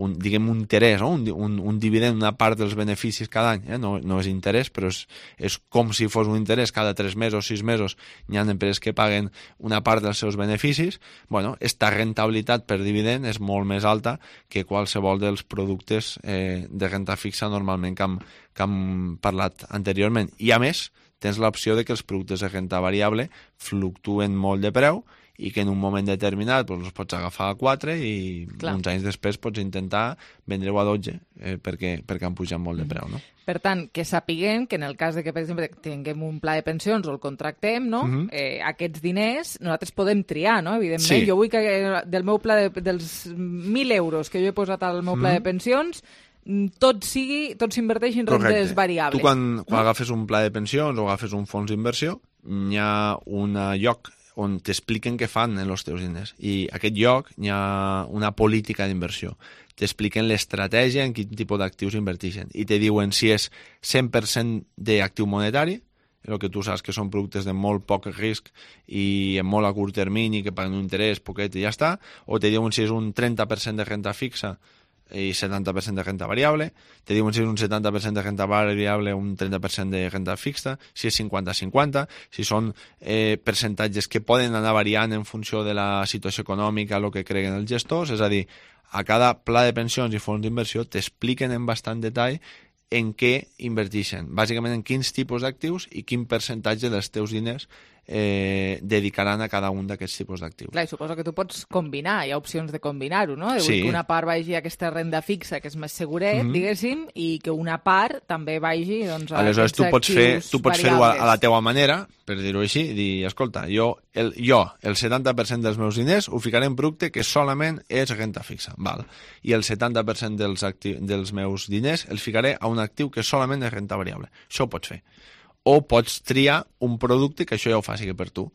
un diguem, un interès, no? un, un, un dividend, una part dels beneficis cada any, eh? no, no és interès, però és, és com si fos un interès cada tres mesos, sis mesos, hi ha empreses que paguen una part dels seus beneficis, bueno, esta rentabilitat per dividend és molt més alta que qualsevol dels productes eh, de renta fixa normalment que hem, que hem parlat anteriorment. I a més, tens l'opció de que els productes de renta variable fluctuen molt de preu i que en un moment determinat doncs, els pots agafar a quatre i Clar. uns anys després pots intentar vendre-ho a dotze eh, perquè, perquè han pujat molt de preu, no? Per tant, que sapiguem que en el cas de que, per exemple, tinguem un pla de pensions o el contractem, no? Uh-huh. eh, aquests diners nosaltres podem triar, no? Evidentment, sí. Jo vull que del meu pla de, dels mil euros que jo he posat al meu pla uh-huh. de pensions tot sigui, tot s'inverteix en rentes variables. Tu quan, quan no? agafes un pla de pensions o agafes un fons d'inversió, hi ha un lloc on t'expliquen què fan en els teus diners. I a aquest lloc hi ha una política d'inversió. T'expliquen l'estratègia en quin tipus d'actius inverteixen. I te diuen si és cent per cent d'actiu monetari, el que tu saps que són productes de molt poc risc i en molt a curt termini, que paguen un interès poquet i ja està, o te diuen si és un trenta per cent de renta fixa i setanta per cent de renta variable, te diuen si és un setanta per cent de renta variable o un trenta per cent de renta fixa, si és cinquanta cinquanta, si són eh, percentatges que poden anar variant en funció de la situació econòmica, el que creguen els gestors, és a dir, a cada pla de pensions i fons d'inversió t'expliquen en bastant detall en què inverteixen, bàsicament en quins tipus d'actius i quin percentatge dels teus diners eh, dedicaran a cada un d'aquests tipus d'actius. Clar, i suposo que tu pots combinar, hi ha opcions de combinar-ho, no? De sí. que una part vagi a aquesta renda fixa, que és més seguret, mm-hmm. diguéssim, i que una part també vagi doncs, a Aleshores, aquests tu pots fer, tu pots fer-ho a, a la teua manera, per dir-ho així, i dir, escolta, jo el, jo, el setanta per cent dels meus diners ho ficaré en producte que solament és renta fixa, val? I el setanta per cent dels, acti- dels meus diners els ficaré a un actiu que solament és renta variable. Això ho pots fer. O pots triar un producte que això ja ho faci per tu.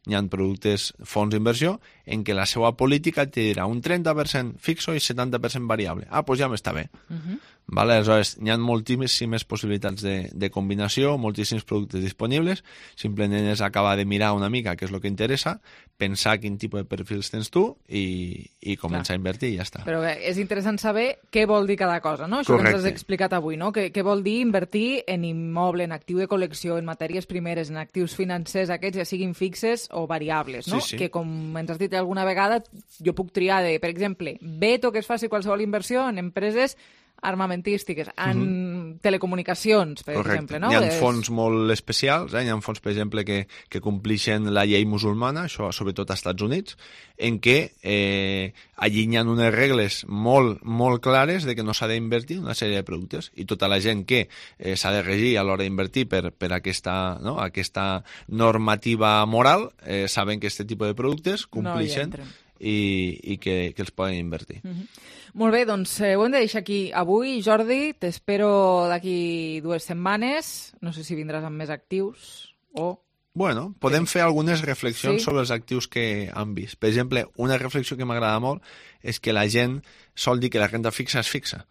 Hi ha productes, fons d'inversió, en què la seva política et dirà un trenta per cent fixo i setanta per cent variable. Ah, doncs ja m'està bé. Uh-huh. Vale? Aleshores, hi ha moltíssimes possibilitats de, de combinació, moltíssims productes disponibles, simplement és acabar de mirar una mica què és el que interessa, pensar quin tipus de perfils tens tu i, i començar Clar. a invertir i ja està. Però bé, és interessant saber què vol dir cada cosa, no? Això Correcte. que ens has explicat avui, no? Què, què vol dir invertir en immoble, en actiu de col·lecció, en matèries primeres, en actius financers, aquests ja siguin fixes o variables, no? Sí, sí. Que, com ens has dit alguna vegada, jo puc triar de, per exemple, veto que es faci qualsevol inversió en empreses armamentístiques, en mm-hmm. telecomunicacions, per Correcte. exemple. No? Hi ha fons molt especials, eh? Hi ha fons, per exemple, que, que complixen la llei musulmana, això sobretot als Estats Units, en què eh, allí hi ha unes regles molt, molt clares de que no s'ha d'invertir una sèrie de productes i tota la gent que eh, s'ha de regir a l'hora d'invertir per, per aquesta, no? aquesta normativa moral eh, saben que aquest tipus de productes complixen no i, i que, que els poden invertir. Mm-hmm. Molt bé, doncs eh, ho hem de deixar aquí avui. Jordi, t'espero d'aquí dues setmanes. No sé si vindràs amb més actius o Bueno, podem fer algunes reflexions Sí. sobre els actius que han vist. Per exemple, una reflexió que m'agrada molt és que la gent sol dir que la renda fixa és fixa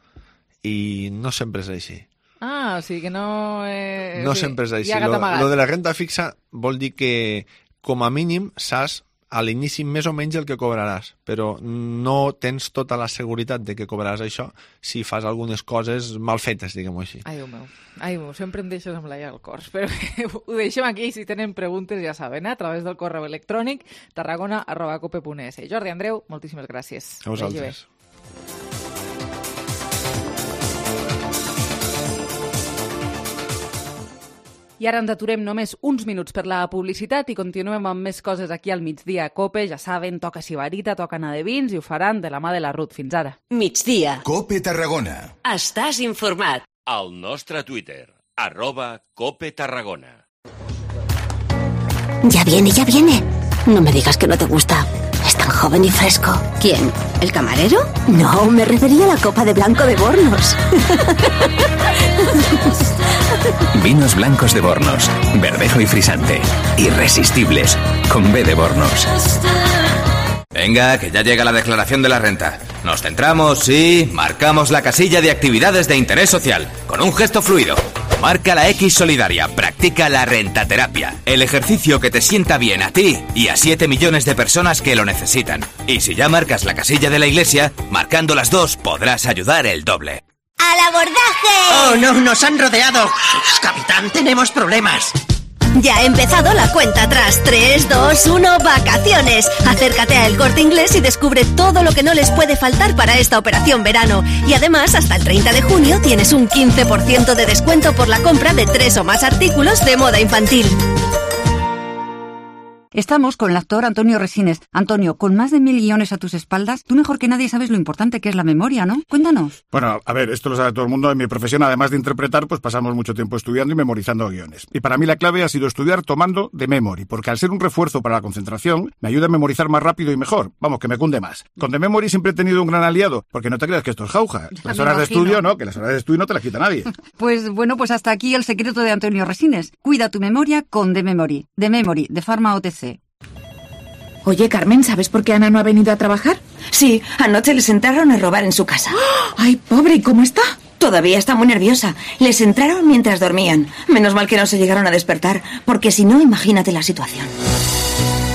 i no sempre és així. Ah, o sigui que no... Eh, No sí, sempre és així. hi ha gat Lo, amagat. lo de la renda fixa vol dir que, com a mínim, saps a l'inici més o menys el que cobraràs, però no tens tota la seguretat de que cobraràs això si fas algunes coses mal fetes, diguem-ho així. Ai, Déu meu. Ai, meu, sempre em deixes amb la llaga al cor. Però ho deixem aquí, si tenen preguntes ja saben, eh? A través del correu electrònic tarragona arroba cope punt es. Jordi, Andreu, moltíssimes gràcies. A vosaltres. I ara ens aturem només uns minuts per la publicitat i continuem amb més coses aquí al migdia a Cope. Ja saben, toca Sibarita, toca anar de vins i ho faran de la mà de la Ruth. Fins ara. Migdia. Cope Tarragona. Estàs informat. Al nostre Twitter, arroba Cope Tarragona. Ya viene, ya viene. No me digas que no te gusta. Es tan joven y fresco. ¿Quién? ¿El camarero? No, me refería a la copa de blanco de Bornos. Vinos blancos de Bornos, verdejo y frisante. Irresistibles, con B de Bornos. Venga, que ya llega la declaración de la renta. Nos centramos, sí, marcamos la casilla de actividades de interés social, con un gesto fluido. Marca la X solidaria, practica la rentaterapia, el ejercicio que te sienta bien a ti y a siete millones de personas que lo necesitan. Y si ya marcas la casilla de la iglesia, marcando las dos podrás ayudar el doble. ¡Al abordaje! ¡Oh, no! ¡Nos han rodeado! Capitán, tenemos problemas. Ya ha empezado la cuenta atrás. tres, dos, uno, vacaciones. Acércate a El Corte Inglés y descubre todo lo que no les puede faltar para esta operación verano. Y además, hasta el treinta de junio tienes un quince por ciento de descuento por la compra de tres o más artículos de moda infantil. Estamos con el actor Antonio Resines. Antonio, con más de mil guiones a tus espaldas, tú mejor que nadie sabes lo importante que es la memoria, ¿no? Cuéntanos. Bueno, a ver, esto lo sabe todo el mundo. En mi profesión, además de interpretar, pues pasamos mucho tiempo estudiando y memorizando guiones. Y para mí la clave ha sido estudiar tomando de memory, porque al ser un refuerzo para la concentración, me ayuda a memorizar más rápido y mejor. Vamos, que me cunde más. Con de memory siempre he tenido un gran aliado, porque no te creas que esto es jauja. Las horas de estudio, no, que las horas de estudio no te las quita nadie. Pues bueno, pues hasta aquí el secreto de Antonio Resines. Cuida tu memoria con de memory. De memory, de Pharma O T C. Oye, Carmen, ¿sabes por qué Ana no ha venido a trabajar? Sí, anoche les entraron a robar en su casa. ¡Ay, pobre! ¿Y cómo está? Todavía está muy nerviosa. Les entraron mientras dormían. Menos mal que no se llegaron a despertar, porque si no, imagínate la situación.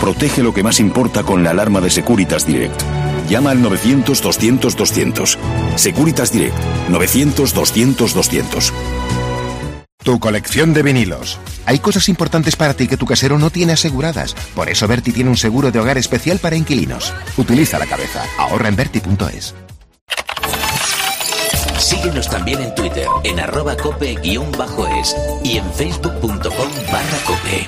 Protege lo que más importa con la alarma de Securitas Direct. Llama al novecientos, doscientos, doscientos. Securitas Direct. novecientos, doscientos, doscientos. Tu colección de vinilos. Hay cosas importantes para ti que tu casero no tiene aseguradas. Por eso Berti tiene un seguro de hogar especial para inquilinos. Utiliza la cabeza. Ahorra en Berti punto es. Síguenos también en Twitter, en arroba cope-es y en facebook punto com barra cope.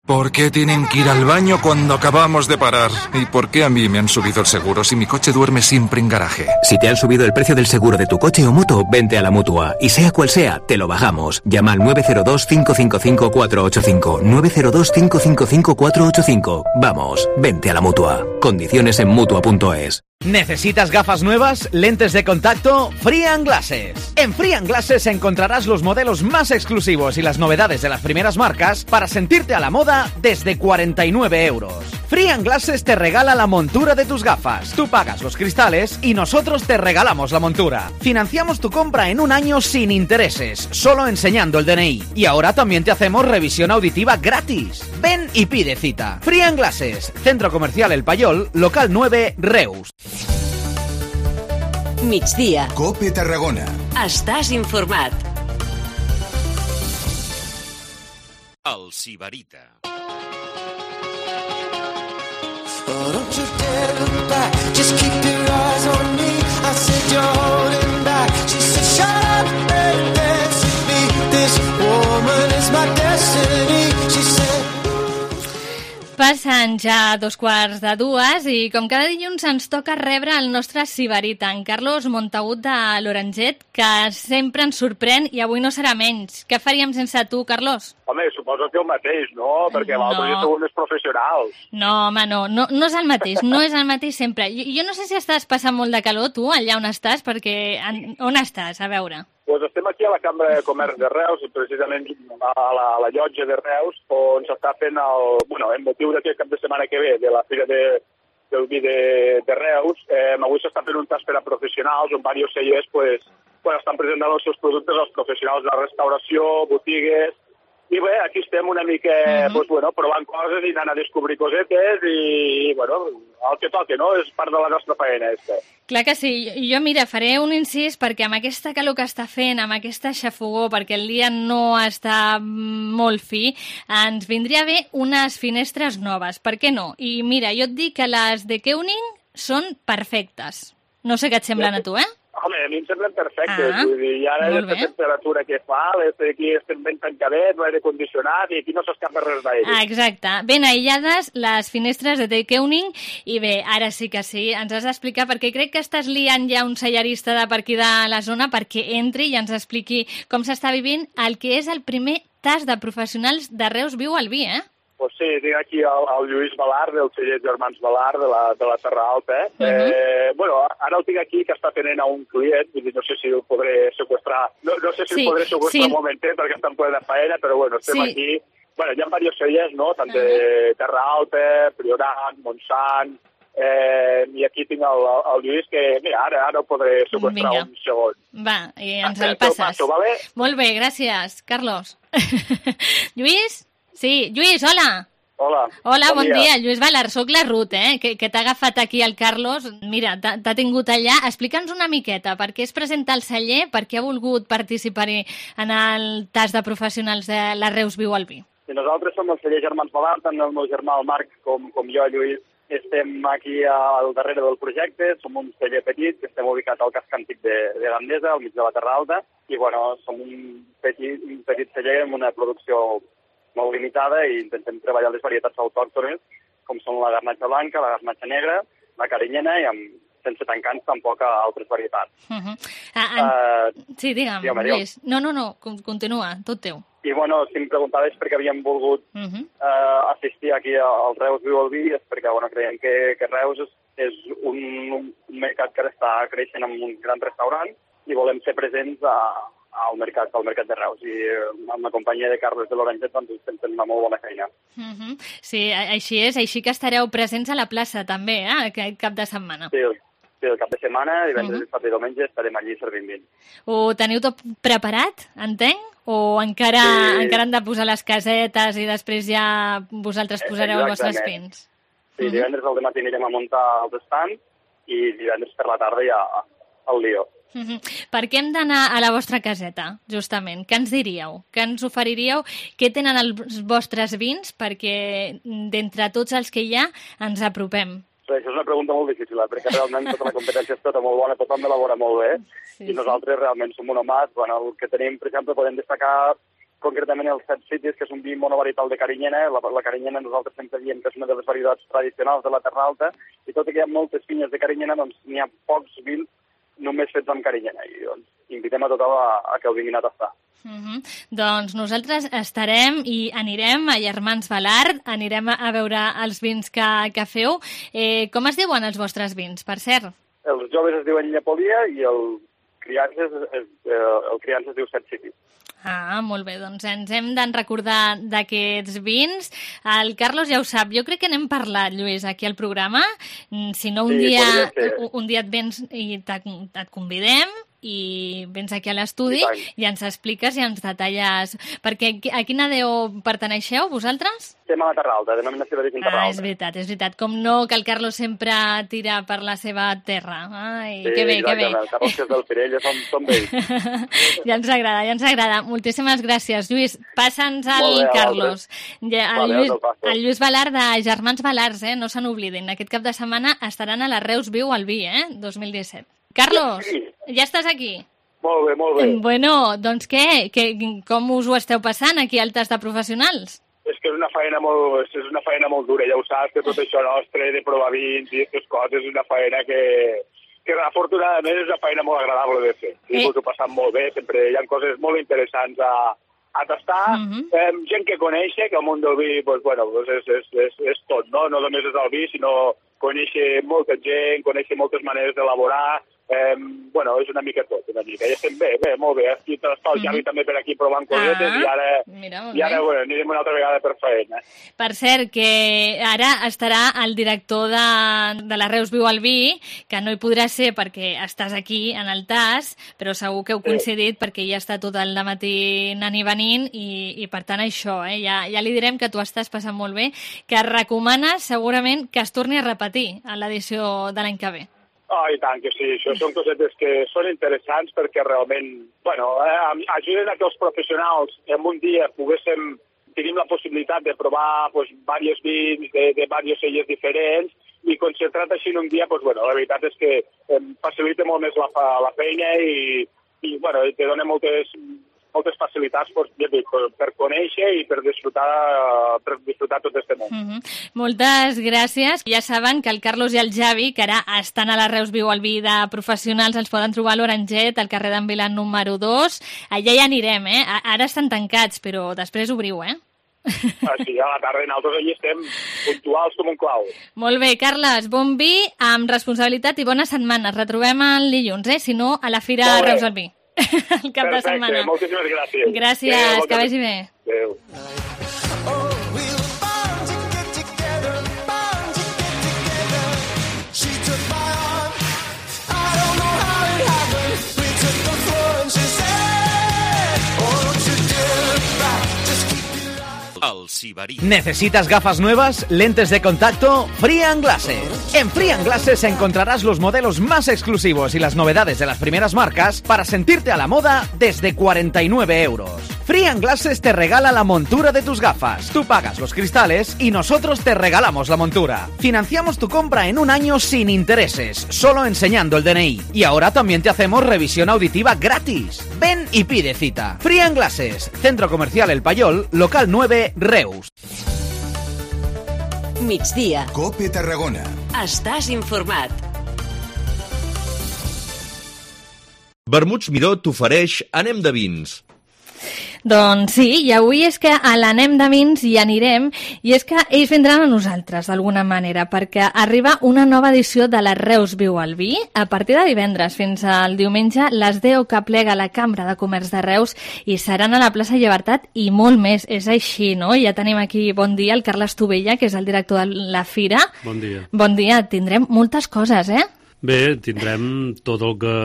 ¿Por qué tienen que ir al baño cuando acabamos de parar? ¿Y por qué a mí me han subido el seguro si mi coche duerme siempre en garaje? Si te han subido el precio del seguro de tu coche o moto, vente a la Mutua. Y sea cual sea, te lo bajamos. Llama al nueve cero dos, cinco cinco cinco, cuatro ocho cinco. nueve cero dos, cinco cinco cinco, cuatro ocho cinco. Vamos, vente a la Mutua. Condiciones en mutua punto es. ¿Necesitas gafas nuevas? ¿Lentes de contacto? Free and Glasses. En Free and Glasses encontrarás los modelos más exclusivos y las novedades de las primeras marcas para sentirte a la moda desde cuarenta y nueve euros. Free and Glasses te regala la montura de tus gafas. Tú pagas los cristales y nosotros te regalamos la montura. Financiamos tu compra en un año sin intereses, solo enseñando el D N I. Y ahora también te hacemos revisión auditiva gratis. Ven y pide cita. Free and Glasses, Centro Comercial El Payol, local nueve, Reus. Migdia. Cope Tarragona. Estàs informat. El Sibarita. Oh, don't you dare look back, just keep your eyes on me. I said you're holding back. She said shut up and dance with me. This woman is my destiny. She said. Passen ja dos quarts de dues i com cada dilluns ens toca rebre el nostre Sibarita, en Carlos Montagut de l'Oranget, que sempre ens sorprèn i avui no serà menys. Què faríem sense tu, Carlos? Home, suposo que el mateix, no? Perquè No. l'altre ja sou més professionals. No, home, no, no, no és el mateix, no és el mateix sempre. Jo, jo no sé si estàs passant molt de calor, tu, allà on estàs, perquè... En, on estàs? A veure. Pues estem aquí a la Cambra de Comerç de Reus, precisament a la, a la llotja de Reus, on s'està fent el... Bueno, en motiu d'aquest cap de setmana que ve, de la Fira de, del Vi de, de Reus, eh, avui s'està fent un tas per a professionals, on diversos cellers pues, pues, estan presentant els seus productes als professionals de la restauració, botigues... I bé, aquí estem una mica, uh-huh. pues, bueno, provant coses i anant a descobrir cosetes i, bueno, el que toque, no? És part de la nostra feina, este. Clar que sí. Jo, mira, faré un incís perquè amb aquesta calor que està fent, amb aquesta xafogó, perquè el dia no està molt fi, ens vindria bé unes finestres noves. Per què no? I mira, jo et dic que les de Keuning són perfectes. No sé què et semblen a tu, eh? Home, a mi em semblen perfectes. Ah, Vull dir, i ara aquesta temperatura que fa, aquí estem ben tancadets, l'aire condicionat, i aquí no s'escapa res d'aire. Ah, exacte. Ben aïllades les finestres de Keuning, i bé, ara sí que sí, ens has d'explicar, perquè crec que estàs liant ja un sellarista de per aquí de la zona perquè entri i ens expliqui com s'està vivint el que és el primer tas de professionals de Reus Viu al Vi, eh? Pues sí, tinc aquí el, el Lluís Balart, del celler Germans Balart, de la, de la Terra Alta. Eh? Uh-huh. eh, bueno, ara el tinc aquí, que està tenint a un client, vull dir, no sé si el podré seqüestrar, no, no sé si sí, el podré seqüestrar sí. un momentet, perquè està en plena faena, però bueno, estem sí. aquí. Bueno, hi ha diversos cellers, no?, tant de Terra Alta, Priorat, Montsant, eh, i aquí tinc el, el Lluís, que, mira, ara, ara el podré seqüestrar Vinga. un segon. Va, i ens el passes. Passo, vale? Molt bé, gràcies, Carlos. Lluís? Sí, Lluís, hola. Hola. Hola, bon, bon dia. dia. Lluís Balart, soc la Ruth, eh? que, que t'ha agafat aquí el Carlos. Mira, t'ha tingut allà. Explica'ns una miqueta per què es presenta al celler, per què ha volgut participar-hi en el tas de professionals de la Reus Viu al Vi. I nosaltres som el celler Germans Balart, tant el meu germà, el Marc, com, com jo, Lluís. Estem aquí al darrere del projecte, som un celler petit, que estem ubicats al casc antic de, de Gandesa, al mig de la Terra Alta, i bueno, som un petit, un petit celler amb una producció molt limitada i intentem treballar les varietats autòctones, com són la garnatxa blanca, la garnatxa negra, la carinyena i amb, sense tancants tampoc a altres varietats. Uh-huh. Ah, en... uh, sí, digue'm, Lluís. No, no, no, continua, tot teu. I bueno, si em preguntaves per què havíem volgut uh-huh. uh, assistir aquí al Reus Viu al Vi, és perquè bueno, creiem que, que Reus és, és un, un mercat que està creixent amb un gran restaurant i volem ser presents a al mercat, al mercat de Reus, i amb la companyia de Carles de l'Oranget doncs estem fent una molt bona feina. Uh-huh. Sí, així és, així que estareu presents a la plaça també, eh, aquest cap de setmana. Sí, sí el cap de setmana, divendres, uh-huh. dissabte i diumenge estarem allí servint vins. Ho teniu tot preparat, entenc? O encara, sí. encara han de posar les casetes i després ja vosaltres posareu els vostres vins? Sí, uh-huh. divendres al matí anirem a muntar els estands i divendres per la tarda ja al lío. Uh-huh. Per què hem d'anar a la vostra caseta, justament? Què ens diríeu? Què ens oferiríeu? Què tenen els vostres vins? Perquè d'entre tots els que hi ha ens apropem. Sí, això és una pregunta molt difícil, eh? perquè realment tota la competència és tota molt bona, tothom elabora molt bé, sí, i nosaltres sí. realment som un homat. Bueno, el que tenim, per exemple, podem destacar concretament els Set Cities, que és un vi monovarietal de carinyena. La, la carinyena nosaltres sempre diem que és una de les varietats tradicionals de la Terra Alta, i tot i que hi ha moltes vinyes de carinyena, doncs n'hi ha pocs vins només fets amb carinyena, i doncs invitem a tothom a, a que ho vinguin a tastar. Uh-huh. Doncs nosaltres estarem i anirem a Germans Balart, anirem a veure els vins que, que feu. Eh, com es diuen els vostres vins, per cert? Els joves es diuen Llepolia i el criança es, es, el criança es diu Set City. Ah, molt bé, doncs ens hem de recordar d'aquests vins. El Carlos ja ho sap, jo crec que n'hem parlat, Lluís, aquí al programa. Si no, un, sí, dia, un dia et vens i et convidem i vens aquí a l'estudi i, i ens expliques i ens detalles. Perquè a quina deu perteneixeu, vosaltres? Estem a la Terra Alta, denominació d'origen Terra Alta. Ah, és veritat, és veritat. Com no, que el Carlos sempre tira per la seva terra. Ai, sí, que bé, que bé. El Carlos, que és del Pirell, som, som vells. Ja ens agrada, ja ens agrada. Moltíssimes gràcies, Lluís. Passa'ns al bé, Carlos. Ja, el, vale, Lluís, el Lluís Balart de Germans Balart, eh? No se n'oblidin. Aquest cap de setmana estaran a la Reus Viu al Vi, eh? dos mil disset. Carlos, sí. ja estàs aquí? Molt bé, molt bé. Bueno, doncs què? què? Com us ho esteu passant aquí al tas de professionals? És que és una feina molt, és una feina molt dura, ja ho saps, que tot això nostre de provar vins i aquestes coses és una feina que, que afortunadament és una feina molt agradable de fer. Sí, eh. Us ho passam molt bé, sempre hi ha coses molt interessants a, a tastar, uh-huh. eh, gent que conèixer, que el món del vi, pues, bueno, pues és, és, és, és tot, no? No només és el vi, sinó conèixer molta gent, conèixer moltes maneres d'elaborar, Eh, bueno, és una mica tot, una mica. Ja estem bé, bé, molt bé. Aquí està el Javi mm-hmm. també per aquí provant cosetes ah, i ara, mira, i ara bueno, anirem una altra vegada per feina. Per cert, que ara estarà el director de, de la Reus Viu al Vi, que no hi podrà ser perquè estàs aquí en el T A S, però segur que heu coincidit sí. perquè ja està tot el dematí anant i venint i, i per tant això, eh, ja, ja li direm que tu estàs passant molt bé, que recomanes segurament que es torni a repetir a l'edició de l'any que ve. Oh, i tant que sí, això són cosetes que són interessants perquè realment, bueno, eh, ajuden a que els professionals en un dia poguéssim, tenim la possibilitat de provar pues, diversos vins de, de diversos celles diferents i concentrat així en un dia, pues, bueno, la veritat és que eh, facilita molt més la, la feina i, i bueno, te dona moltes, moltes facilitats per, per conèixer i per disfrutar, per disfrutar tot este món. Mm-hmm. Moltes gràcies. Ja saben que el Carlos i el Javi, que ara estan a la Reus Viu al Vi de professionals, els poden trobar a l'Oranget, al carrer d'en Vilan número dos. Allà ja anirem, eh? Ara estan tancats, però després obriu, eh? Ah, sí, a la tarda nosaltres allà estem puntuals com un clau. Molt bé, Carles, bon vi, amb responsabilitat i bona setmana. Retrobem el dilluns, eh? Si no, a la Fira Reus al Vi. El cap Perfecte, de setmana. Moltíssimes gràcies. Gràcies, Adeu, que vagi bé. Adéu. ¿Necesitas gafas nuevas? ¿Lentes de contacto? Frian Glasses. En Frian Glasses encontrarás los modelos más exclusivos y las novedades de las primeras marcas para sentirte a la moda desde cuarenta y nueve euros. Frian Glasses te regala la montura de tus gafas. Tú pagas los cristales y nosotros te regalamos la montura. Financiamos tu compra en un año sin intereses, solo enseñando el D N I. Y ahora también te hacemos revisión auditiva gratis. Ven y pide cita. Frian Glasses, Centro Comercial El Payol, local nueve, Reus. Migdia. Cope Tarragona. Estàs informat. Vermuts Miró t'ofereix Anem de Vins. Doncs sí, i avui és que a l'Anem de Vins hi anirem i és que ells vindran a nosaltres d'alguna manera perquè arriba una nova edició de la Reus Viu al Vi a partir de divendres fins al diumenge les deu que plega la Cambra de Comerç de Reus i seran a la plaça Llibertat i molt més, és així, no? Ja tenim aquí, bon dia, el Carles Tovella, que és el director de la Fira. Bon dia. Bon dia, tindrem moltes coses, eh? Bé, tindrem tot el que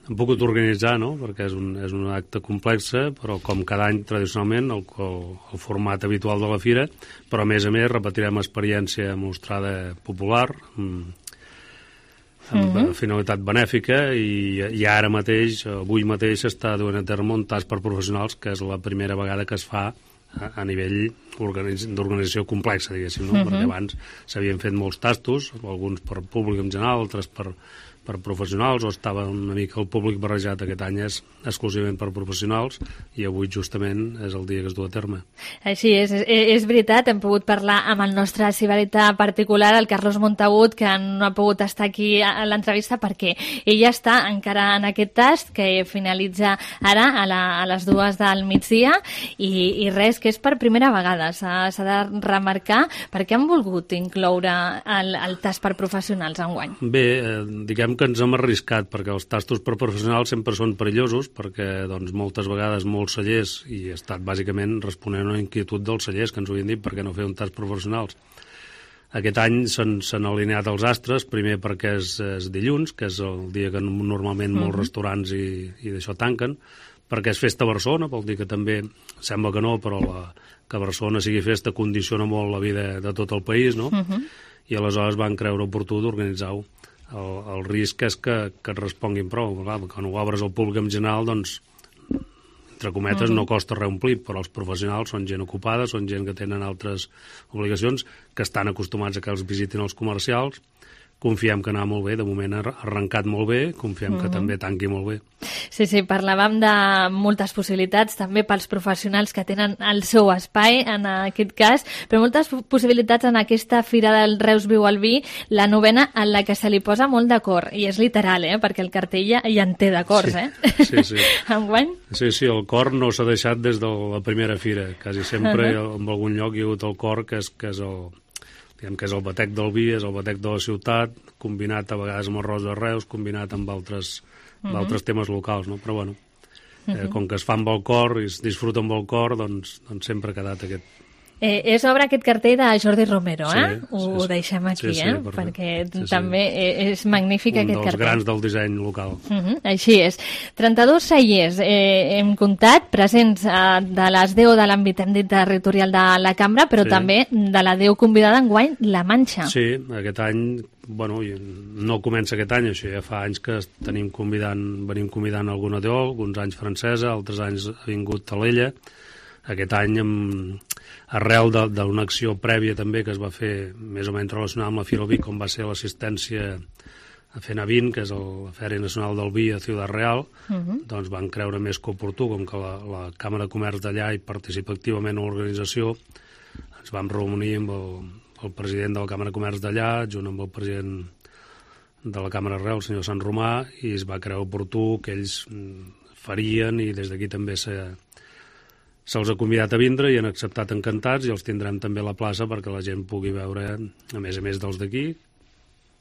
hem pogut organitzar, no? Perquè és un, és un acte complex, però com cada any tradicionalment el, el, el format habitual de la fira, però a més a més repetirem experiència mostrada popular amb, amb uh-huh. finalitat benèfica i, i ara mateix, avui mateix s'està duent a terme un tast per professionals que és la primera vegada que es fa a, a nivell d'organització complexa, diguéssim, no? Uh-huh. Perquè abans s'havien fet molts tastos, alguns per públic en general, altres per per professionals, o estava una mica el públic barrejat. Aquest any és exclusivament per professionals i avui justament és el dia que es du a terme. Així és, és, és veritat, hem pogut parlar amb el nostre ciberita particular, el Carlos Montagut, que no ha pogut estar aquí a l'entrevista perquè ella està encara en aquest tast que finalitza ara a, la, a les dues del migdia i, i res, que és per primera vegada, s'ha de remarcar. Per què han volgut incloure el, el tast per professionals enguany? Bé, eh, diguem que ens hem arriscat perquè els tastos per professionals sempre són perillosos perquè doncs, moltes vegades molts cellers, i he estat bàsicament responent a una inquietud dels cellers que ens ho havien dit per què no fer un tast professionals. Aquest any s'han alineat els astres, primer perquè és, és dilluns, que és el dia que normalment molts uh-huh. restaurants i, i d'això tanquen, perquè és festa a Barcelona, vol dir que també, sembla que no, però la, que Barcelona sigui festa condiciona molt la vida de tot el país, no? Uh-huh. I aleshores van creure oportú d'organitzar-ho. El, el risc és que, que et responguin prou. Quan ho obres al públic en general, doncs, entre cometes, uh-huh. no costa reomplir, però els professionals són gent ocupada, són gent que tenen altres obligacions, que estan acostumats a que els visitin els comercials. Confiem que anar molt bé, de moment ha arrencat molt bé, confiem uh-huh. que també tanqui molt bé. Sí, sí, parlàvem de moltes possibilitats, també pels professionals que tenen el seu espai, en aquest cas, però moltes possibilitats en aquesta Fira del Reus Viu al Vi, la novena en la que se li posa molt d'acord, i és literal, eh? Perquè el cartell ja, ja en té d'acords, sí, eh? Sí, sí. Enguany? Sí, sí, el cor no s'ha deixat des de la primera fira, quasi sempre uh-huh. en algun lloc hi ha hagut el cor, que és, que és el... diguem que és el batec del vi, és el batec de la ciutat, combinat a vegades amb arròs de Reus, combinat amb altres, uh -huh. altres temes locals, no? Però bueno, eh, uh -huh. com que es fa amb el cor i es disfruta amb el cor, doncs, doncs sempre ha quedat aquest... Eh, és obra aquest cartell de Jordi Romero, sí, eh? Ho, sí, sí. ho deixem aquí, sí, sí, eh? Perfecte. Perquè sí, sí. també és magnífic Un aquest cartell. Un dels grans del disseny local. Uh -huh, així és. trenta-dos cellers eh, hem comptat, presents eh, de les deu de l'àmbit, hem dit, territorial de la cambra, però sí. també de la deu convidada enguany, La Manxa. Sí, aquest any, bueno, no comença aquest any, això ja fa anys que tenim convidant, venim convidant alguna deu, alguns anys francesa, altres anys ha vingut Talella. Aquest any, amb, arrel d'una acció prèvia també que es va fer més o menys relacionada amb la Fira del Vi, com va ser l'assistència a FENAVIN, que és el, la Fèria Nacional del Vi a Ciutat Real, uh -huh. doncs van creure més que oportú, com que la, la Càmera de Comerç d'allà hi participa activament a l'organització, ens vam reunir amb el, el president de la Càmera de Comerç d'allà, junt amb el president de la Càmera de Reus, el senyor Sant Romà, i es va creure oportú que ells farien, i des d'aquí també s'ha se'ls ha convidat a vindre i han acceptat encantats, i els tindrem també a la plaça perquè la gent pugui veure, a més a més dels d'aquí,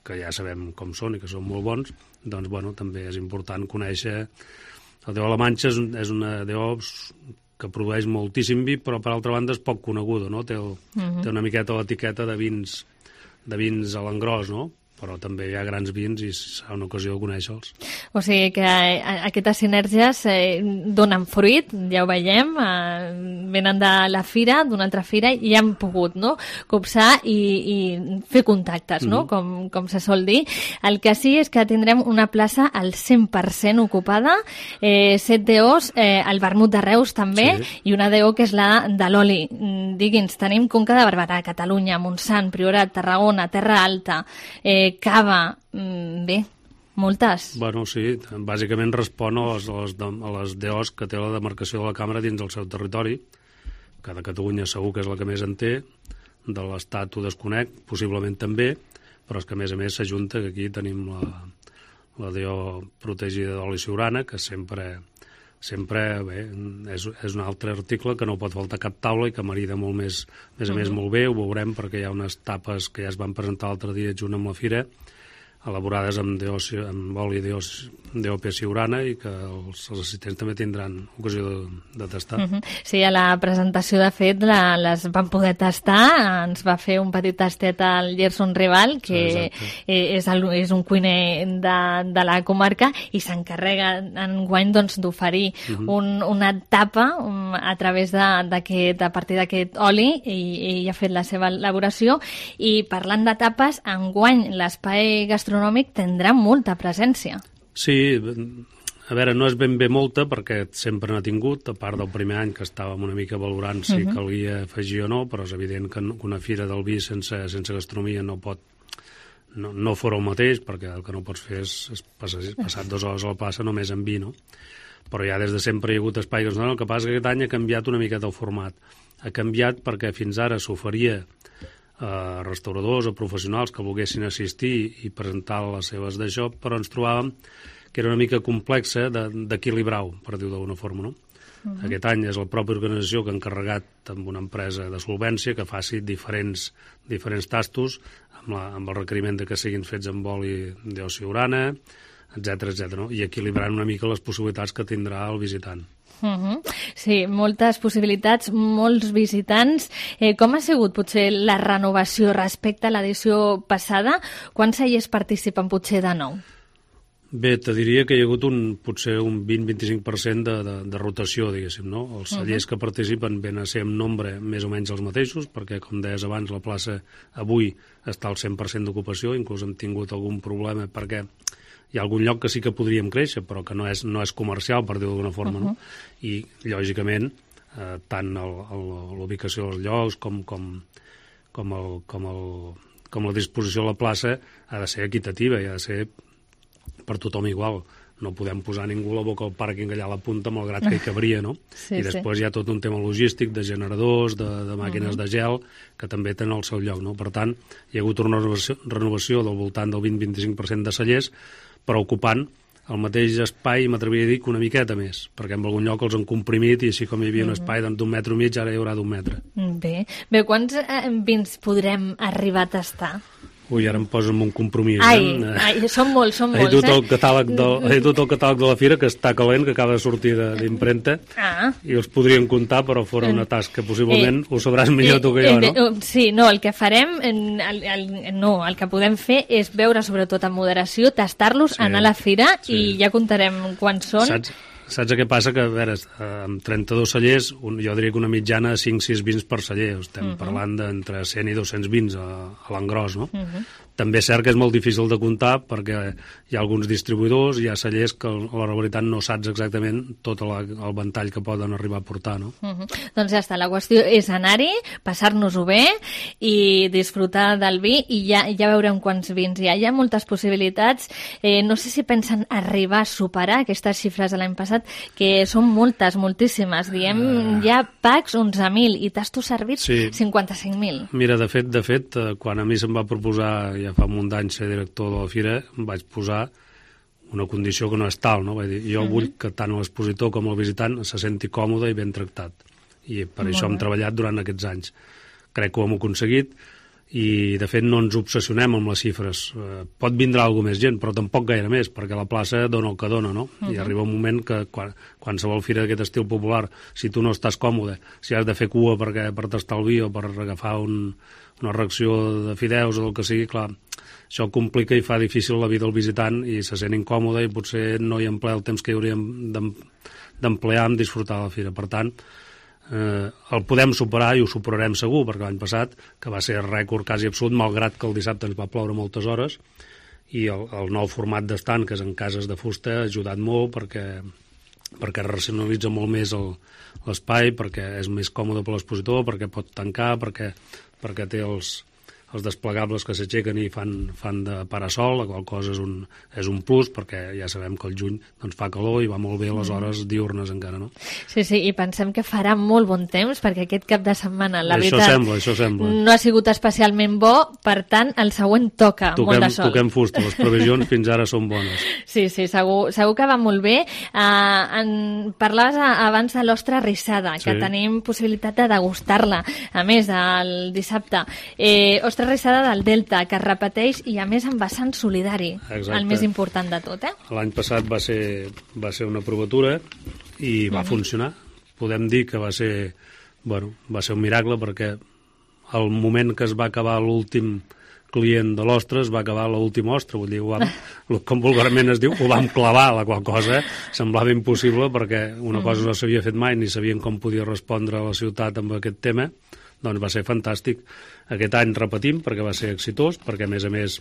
que ja sabem com són i que són molt bons, doncs bueno, també és important conèixer. El Déu de la Manxa és, un, és una deu que produeix moltíssim vi, però per altra banda és poc coneguda, no? Té, el, uh -huh. té una miqueta l'etiqueta de vins, de vins a l'engròs, no? Però també hi ha grans vins i serà una ocasió de conèixer-los. O sigui que aquestes sinergies eh, donen fruit, ja ho veiem, eh, venen de la fira, d'una altra fira, i han pogut, no?, copsar i, i fer contactes, no?, mm. com, com se sol dir. El que sí és que tindrem una plaça al cent per cent ocupada, eh, set D Os, eh, el vermut de Reus també, sí. i una D O que és la de l'oli. Digui'ns, tenim Conca de Barberà, Catalunya, Montsant, Priorat, Tarragona, Terra Alta, eh, Cava, bé, moltes. Bueno, sí, bàsicament respon a les, a les, a les D Os que té la demarcació de la Càmera dins del seu territori, que de Catalunya segur que és la que més en té, de l'Estat ho desconec, possiblement també, però és que a més a més s'ajunta que aquí tenim la, la D O protegida d'oli Siurana, que sempre, sempre bé, és, és un altre article que no pot faltar cap taula i que marida molt més, més a més molt bé, ho veurem perquè hi ha unes tapes que ja es van presentar l'altre dia junt amb la fira, elaborades amb, D O, amb oli D O P Siurana, i que els, els assistents també tindran ocasió de, de tastar. Uh -huh. Sí, a la presentació, de fet, la, les van poder tastar. Ens va fer un petit tastet al Gerson Rival, que és, el, és un cuiner de, de la comarca, i s'encarrega enguany doncs, d'oferir uh -huh. un, una tapa um, a través d'aquest, a partir d'aquest oli, i ell ha fet la seva elaboració. I parlant de tapes, enguany l'espai gastronòmic tindrà molta presència. Sí, a veure, no és ben bé molta, perquè sempre n'ha tingut, a part del primer any que estàvem una mica valorant si uh -huh. calia afegir o no, però és evident que una fira del vi sense, sense gastronomia no pot, no, no fora el mateix, perquè el que no pots fer és, és passar, passar dues hores a la plaça només amb vi, no? Però ja des de sempre hi ha hagut espai gastronòmic. El que passa és que aquest any ha canviat una miqueta el format. Ha canviat perquè fins ara s'oferia a restauradors o professionals que volguessin assistir i presentar les seves d'això, però ens trobàvem que era una mica complexa d'equilibrar-ho, per dir-ho d'alguna forma, no? Uh-huh. Aquest any és la pròpia organització que ha encarregat amb una empresa de solvència que faci diferents, diferents tastos amb, la, amb el requeriment de que siguin fets amb oli de Siurana, etcètera, etcètera, no? I equilibrant una mica les possibilitats que tindrà el visitant. Uh -huh. Sí, moltes possibilitats, molts visitants. Eh, com ha sigut potser la renovació respecte a l'edició passada? Quants cellers participen potser de nou? Bé, te diria que hi ha hagut un, potser un vint a vint-i-cinc per cent de, de, de rotació, diguéssim, no? Els cellers uh -huh. que participen ven a ser en nombre més o menys els mateixos, perquè, com deies abans, la plaça avui està al cent per cent d'ocupació, inclús hem tingut algun problema perquè hi ha algun lloc que sí que podríem créixer, però que no és, no és comercial, per dir-ho d'alguna forma, uh -huh. no? I, lògicament, eh, tant l'ubicació dels llocs com, com, com, el, com, el, com la disposició de la plaça ha de ser equitativa i ha de ser per tothom igual. No podem posar ningú la boca al pàrquing allà a la punta, malgrat que hi cabria, no? Sí, I després sí. Hi ha tot un tema logístic de generadors, de, de màquines uh -huh. de gel, que també tenen el seu lloc, no? Per tant, hi ha hagut una renovació, renovació del voltant del vint a vint-i-cinc per cent de cellers, però ocupant el mateix espai, m'atreviria a dir que una miqueta més, perquè en algun lloc els han comprimit i així com hi havia un espai doncs, d'un metre i mig, ara hi haurà d'un metre. Bé, bé quants eh, vins podrem arribar a tastar? Ui, ara em posen un compromís. Ai, eh? ai, són molts, són he molts, tot eh? El catàleg del, he tot el catàleg de la fira, que està calent, que acaba de sortir d'impremta, ah. i els podríem comptar, però fora una tasca. Possiblement eh, ho sabràs millor eh, tu que jo, eh, no? Sí, no, el que farem, el, el, no, el que podem fer és veure, sobretot en moderació, tastar-los, sí, anar a la fira sí. i ja contarem quants són. Saps? Saps què passa? Que, a veure, amb trenta-dos cellers, un, jo diria que una mitjana de cinc sis vins per celler. Estem uh -huh. parlant d'entre cent i dos-cents vins a, a l'engròs, no? Uh -huh. També és cert que és molt difícil de comptar perquè hi ha alguns distribuïdors, hi ha cellers que, a la veritat, no saps exactament tot la, el ventall que poden arribar a portar, no? Uh -huh. Doncs ja està, la qüestió és anar-hi, passar-nos-ho bé i disfrutar del vi i ja, ja veurem quants vins hi ha. Hi ha moltes possibilitats. Eh, no sé si pensen arribar a superar aquestes xifres de l'any passat, que són moltes, moltíssimes. Diem, uh... hi ha packs onze mil i tastos servits sí. cinquanta-cinc mil. Mira, de fet, de fet, quan a mi se'm va proposar ja fa un munt d'anys ser director de la fira, em vaig posar una condició que no és tal, no? Vull dir, jo uh -huh. vull que tant l'expositor com el visitant se senti còmode i ben tractat. I per Molt això bé. hem treballat durant aquests anys. Crec que ho hem aconseguit i, de fet, no ens obsessionem amb les xifres. Eh, pot vindre alguna més gent, però tampoc gaire més, perquè la plaça dona el que dona, no? Uh -huh. I arriba un moment que quan, qualsevol fira d'aquest estil popular, si tu no estàs còmode, si has de fer cua perquè, per tastar el vi o per agafar un una reacció de fideus o del que sigui, clar, això complica i fa difícil la vida del visitant i se sent incòmode i potser no hi emplea el temps que hi hauríem d'emplear en disfrutar de la fira. Per tant, eh, el podem superar i ho superarem segur, perquè l'any passat, que va ser rècord quasi absolut, malgrat que el dissabte ens va ploure moltes hores, i el, el nou format d'estand, que és en cases de fusta, ha ajudat molt perquè, perquè racionalitza molt més l'espai, perquè és més còmode per l'expositor, perquè pot tancar, perquè perquè té els, els desplegables que s'aixequen i fan, fan de parasol, la qual cosa és un, és un plus, perquè ja sabem que el juny doncs, fa calor i va molt bé a les hores diurnes encara, no? Sí, sí, i pensem que farà molt bon temps, perquè aquest cap de setmana, la això veritat, sembla, això sembla. no ha sigut especialment bo, per tant, el següent toca toquem, molt de sol. Toquem fusta, les previsions fins ara són bones. Sí, sí, segur, segur que va molt bé. Uh, en, parlaves abans de l'ostra rissada, que sí. tenim possibilitat de degustar-la. A més, el dissabte, eh, ostra rissada del Delta, que es repeteix i a més en vessant solidari. Exacte. El més important de tot, eh? L'any passat va ser, va ser una provatura i va mm-hmm. funcionar. Podem dir que va ser, bueno, va ser un miracle perquè al moment que es va acabar l'últim client de l'ostra es va acabar l'última ostra, vull dir, ho vam, com vulgarment es diu, ho vam clavar, la qual cosa semblava impossible perquè una mm-hmm. cosa no s'havia fet mai ni sabien com podia respondre a la ciutat amb aquest tema. Doncs va ser fantàstic. Aquest any repetim perquè va ser exitós, perquè a més a més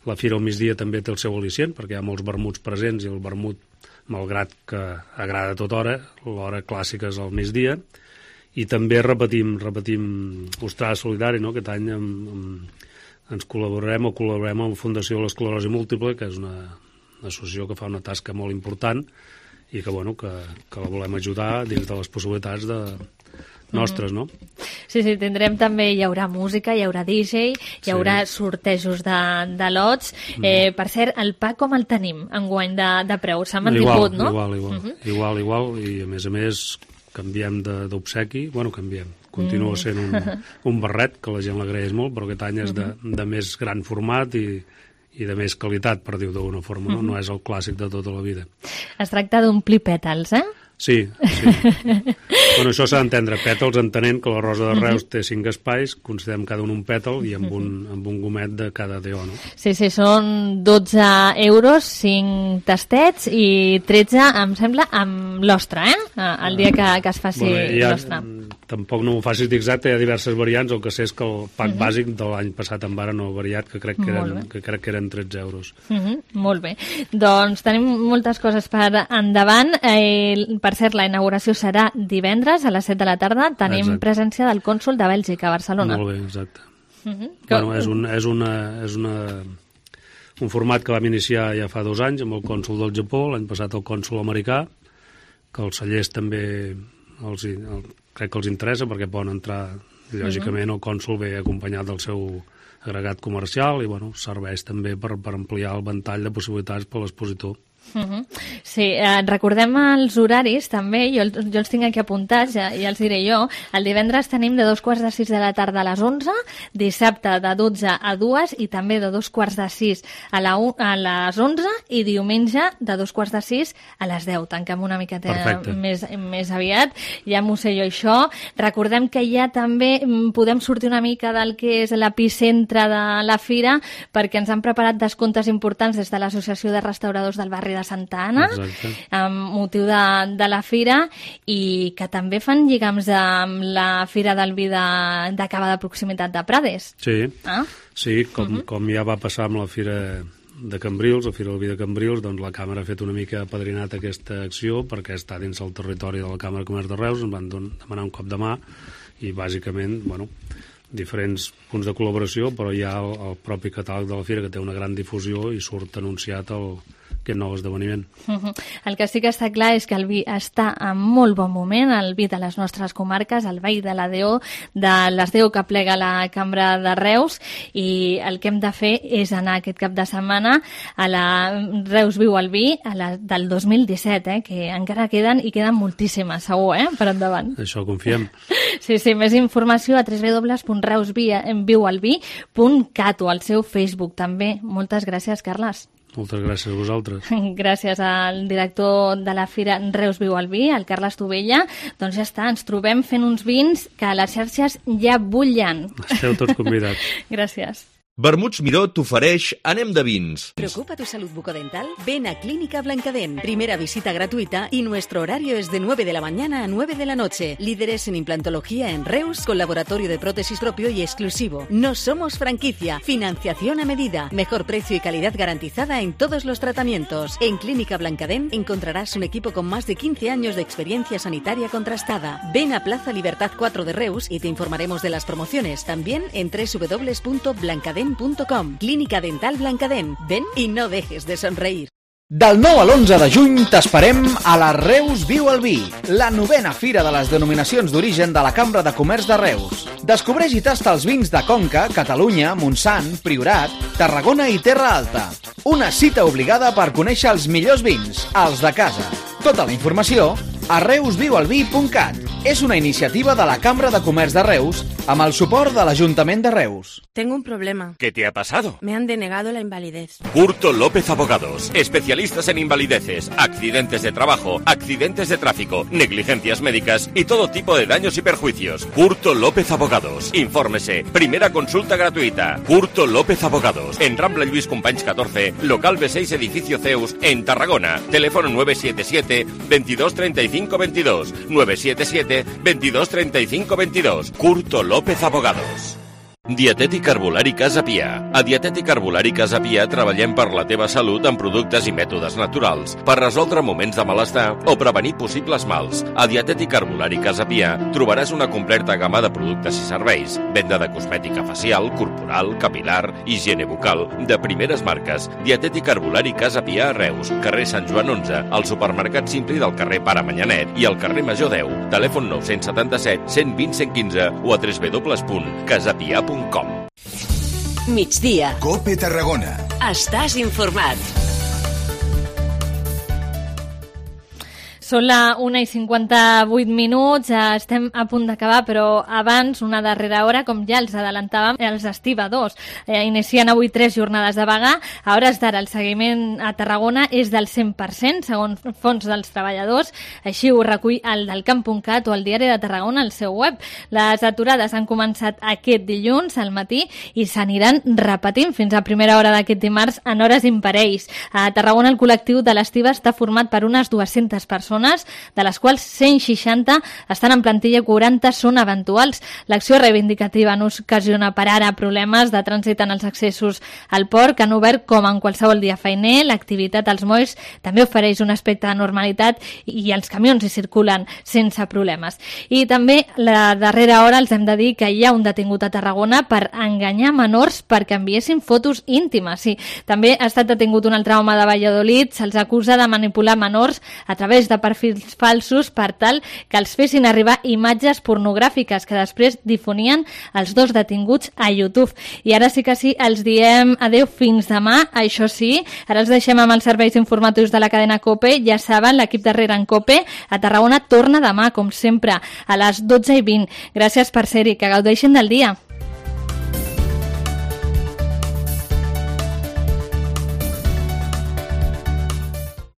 la fira al migdia també té el seu al·licient, perquè hi ha molts vermuts presents i el vermut, malgrat que agrada a tota hora, l'hora clàssica és al migdia, i també repetim, repetim Ostrada Solidari, no? Aquest any amb, amb, ens col·laborarem o col·laborarem amb la Fundació de l'Esclerosi Múltiple, que és una, una associació que fa una tasca molt important i que, bueno, que, que la volem ajudar dins de les possibilitats de nostres, no? Sí, sí, tindrem també, hi haurà música, hi haurà D J, hi haurà sí. sortejos de, de lots. Mm. Eh, per cert, el pa com el tenim enguany de, de preu? S'ha mantingut, no? Igual, igual, uh -huh. igual, igual, i a més a més canviem d'obsequi, bueno, canviem, continua mm. sent un, un barret, que la gent l'agraeix molt, però aquest any és de, de més gran format i i de més qualitat, per dir-ho d'alguna forma, no? No és el clàssic de tota la vida. Es tracta d'omplir pètals, eh? Sí, sí. Bueno, això s'ha d'entendre. Pètals entenent que la Rosa de Reus té cinc espais, considerem cada un un pètal i amb un, amb un gomet de cada D O, no? Sí, sí, són dotze euros, cinc tastets i tretze, em sembla, amb l'ostra, eh? El dia que, que es faci bueno, ja, l'ostra. Tampoc no m'ho facis exacte, hi ha diverses variants, el que sé és que el pack uh -huh. bàsic de l'any passat en vara no ha variat, que crec que eren, que crec que eren tretze euros. Uh -huh. Molt bé. Doncs tenim moltes coses per endavant. Eh, per cert, la inauguració serà divendres a les set de la tarda. Tenim exacte. Presència del cònsol de Bèlgica a Barcelona. Molt bé, exacte. Uh -huh. Bueno, és, un, és, una, és una, un format que vam iniciar ja fa dos anys amb el cònsol del Japó, l'any passat el cònsol americà, que els cellers també els, el, crec que els interessa perquè poden entrar, lògicament el cònsol ve acompanyat del seu agregat comercial i bueno, serveix també per, per ampliar el ventall de possibilitats per l'expositor. Uh-huh. Sí, eh, recordem els horaris també, jo, jo els tinc aquí apuntats, ja, ja els diré jo. El divendres tenim de dos quarts de sis de la tarda a les onze, dissabte de dotze a dues i també de dos quarts de sis a, la, a les onze i diumenge de dos quarts de sis a les deu. Tanquem una miqueta més, més aviat, ja m'ho sé jo això. Recordem que ja també podem sortir una mica del que és l'epicentre de la fira, perquè ens han preparat descomptes importants des de l'Associació de Restauradors del Barri de Santa Anna, Exacte. amb motiu de, de la fira, i que també fan lligams amb la Fira del Vi de, de Cava de Proximitat de Prades. Sí, ah? sí com, uh-huh. com ja va passar amb la Fira de Cambrils, la Fira del Vi de Cambrils, doncs la Càmera ha fet una mica apadrinat aquesta acció perquè està dins el territori de la Càmera de Comerç de Reus, ens van demanar un cop de mà i bàsicament, bueno, diferents punts de col·laboració, però hi ha el, el propi catàleg de la Fira que té una gran difusió i surt anunciat el aquest nou esdeveniment. Uh-huh. El que sí que està clar és que el vi està en molt bon moment, el vi de les nostres comarques, el vi de la D O, de les D O que plega la Cambra de Reus, i el que hem de fer és anar aquest cap de setmana a la Reus Viu al Vi a la, del dos mil disset, eh, que encara queden i queden moltíssimes, segur, eh, per endavant. Això confiem. Sí, sí, més informació a w w w punt reus viu al vi punt cat o al seu Facebook també. Moltes gràcies, Carles. Moltes gràcies a vosaltres. Gràcies al director de la Fira Reus Viu al Vi, el Carles Tovella. Doncs ja està, ens trobem fent uns vins que a les xarxes ja bullen. Esteu tots convidats. Gràcies. Vermuts Miró t'ofereix Anem de vins. ¿Preocupa tu salud bucodental? Ven a Clínica Blancadén. Primera visita gratuita y nuestro horario es de nueve de la mañana a nueve de la noche. Líderes en implantología en Reus, con laboratorio de prótesis propio y exclusivo. No somos franquicia. Financiación a medida. Mejor precio y calidad garantizada en todos los tratamientos. En Clínica Blancadén encontrarás un equipo con más de quince años de experiencia sanitaria contrastada. Ven a Plaza Libertad cuatro de Reus y te informaremos de las promociones. También en w w w punto blancadén punt com. Clínica Dental Blancadén. Ven i no dejes de somreír. Del nou a l'onze de juny t'esperem a la Reus Viu al Vi, la novena fira de les denominacions d'origen de la Cambra de Comerç de Reus. Descobreix i tasta els vins de Conca, Catalunya, Montsant, Priorat, Tarragona i Terra Alta. Una cita obligada per conèixer els millors vins, els de casa. Tota la informació a reus viu al vi punt cat. És una iniciativa de la Cambra de Comerç de Reus amb el suport de l'Ajuntament de Reus. Tengo un problema. ¿Qué te ha pasado? Me han denegado la invalidez. Curto López Abogados. Especialistas en invalideces, accidentes de trabajo, accidentes de tráfico, negligencias médicas y todo tipo de daños y perjuicios. Curto López Abogados. Infórmese. Primera consulta gratuita. Curto López Abogados. En Rambla Lluís Companys catorce, local B seis, edificio Zeus, en Tarragona. Teléfono nueve siete siete, veintidós treinta y cinco veintidós. nueve siete siete, veintidós treinta y cinco veintidós. Curto López Abogados. Dietètic Herbolari Casa Pia. A Dietètic Herbolari Casa Pia treballem per la teva salut amb productes i mètodes naturals, per resoldre moments de malestar o prevenir possibles mals. A Dietètic Herbolari Casa Pia trobaràs una completa gamma de productes i serveis, venda de cosmètica facial, corporal, capilar, higiene bucal, de primeres marques. Dietètic Herbolari Casa Pia a Reus, carrer Sant Joan onze, al supermercat Simpli del carrer Pare Manyanet i al carrer Major deu. Telèfon nou set set, cent vint, cent quinze o a w w w punt casapia punt com. Migdia. Cope Tarragona. Estàs informat. Són la una i cinquanta-vuit minuts, estem a punt d'acabar, però abans, una darrera hora, com ja els adelantàvem, els estibadors eh, inicien avui tres jornades de vaga. A hores d'ara, el seguiment a Tarragona és del cent per cent, segons fons dels treballadors. Així ho recull el del camp punt cat o el diari de Tarragona al seu web. Les aturades han començat aquest dilluns al matí i s'aniran repetint fins a primera hora d'aquest dimarts en hores imparells. A Tarragona, el col·lectiu de l'estiva està format per unes dues-centes persones, de les quals cent seixanta estan en plantilla i quaranta són eventuals. L'acció reivindicativa no ocasiona per ara problemes de trànsit en els accessos al port, que han obert com en qualsevol dia feiner. L'activitat als molls també ofereix un aspecte de normalitat i els camions hi circulen sense problemes. I també la darrera hora els hem de dir que hi ha un detingut a Tarragona per enganyar menors perquè enviessin fotos íntimes. Sí, també ha estat detingut un altre home de Valladolid, se'ls acusa de manipular menors a través de perfils falsos per tal que els fessin arribar imatges pornogràfiques que després difonien els dos detinguts a YouTube. I ara sí que sí, els diem adeu fins demà. Això sí, ara els deixem amb els serveis informatius de la cadena COPE. Ja saben, l'equip de Rere en COPE a Tarragona torna demà, com sempre, a les dotze i vint. Gràcies per ser-hi, que gaudeixin del dia.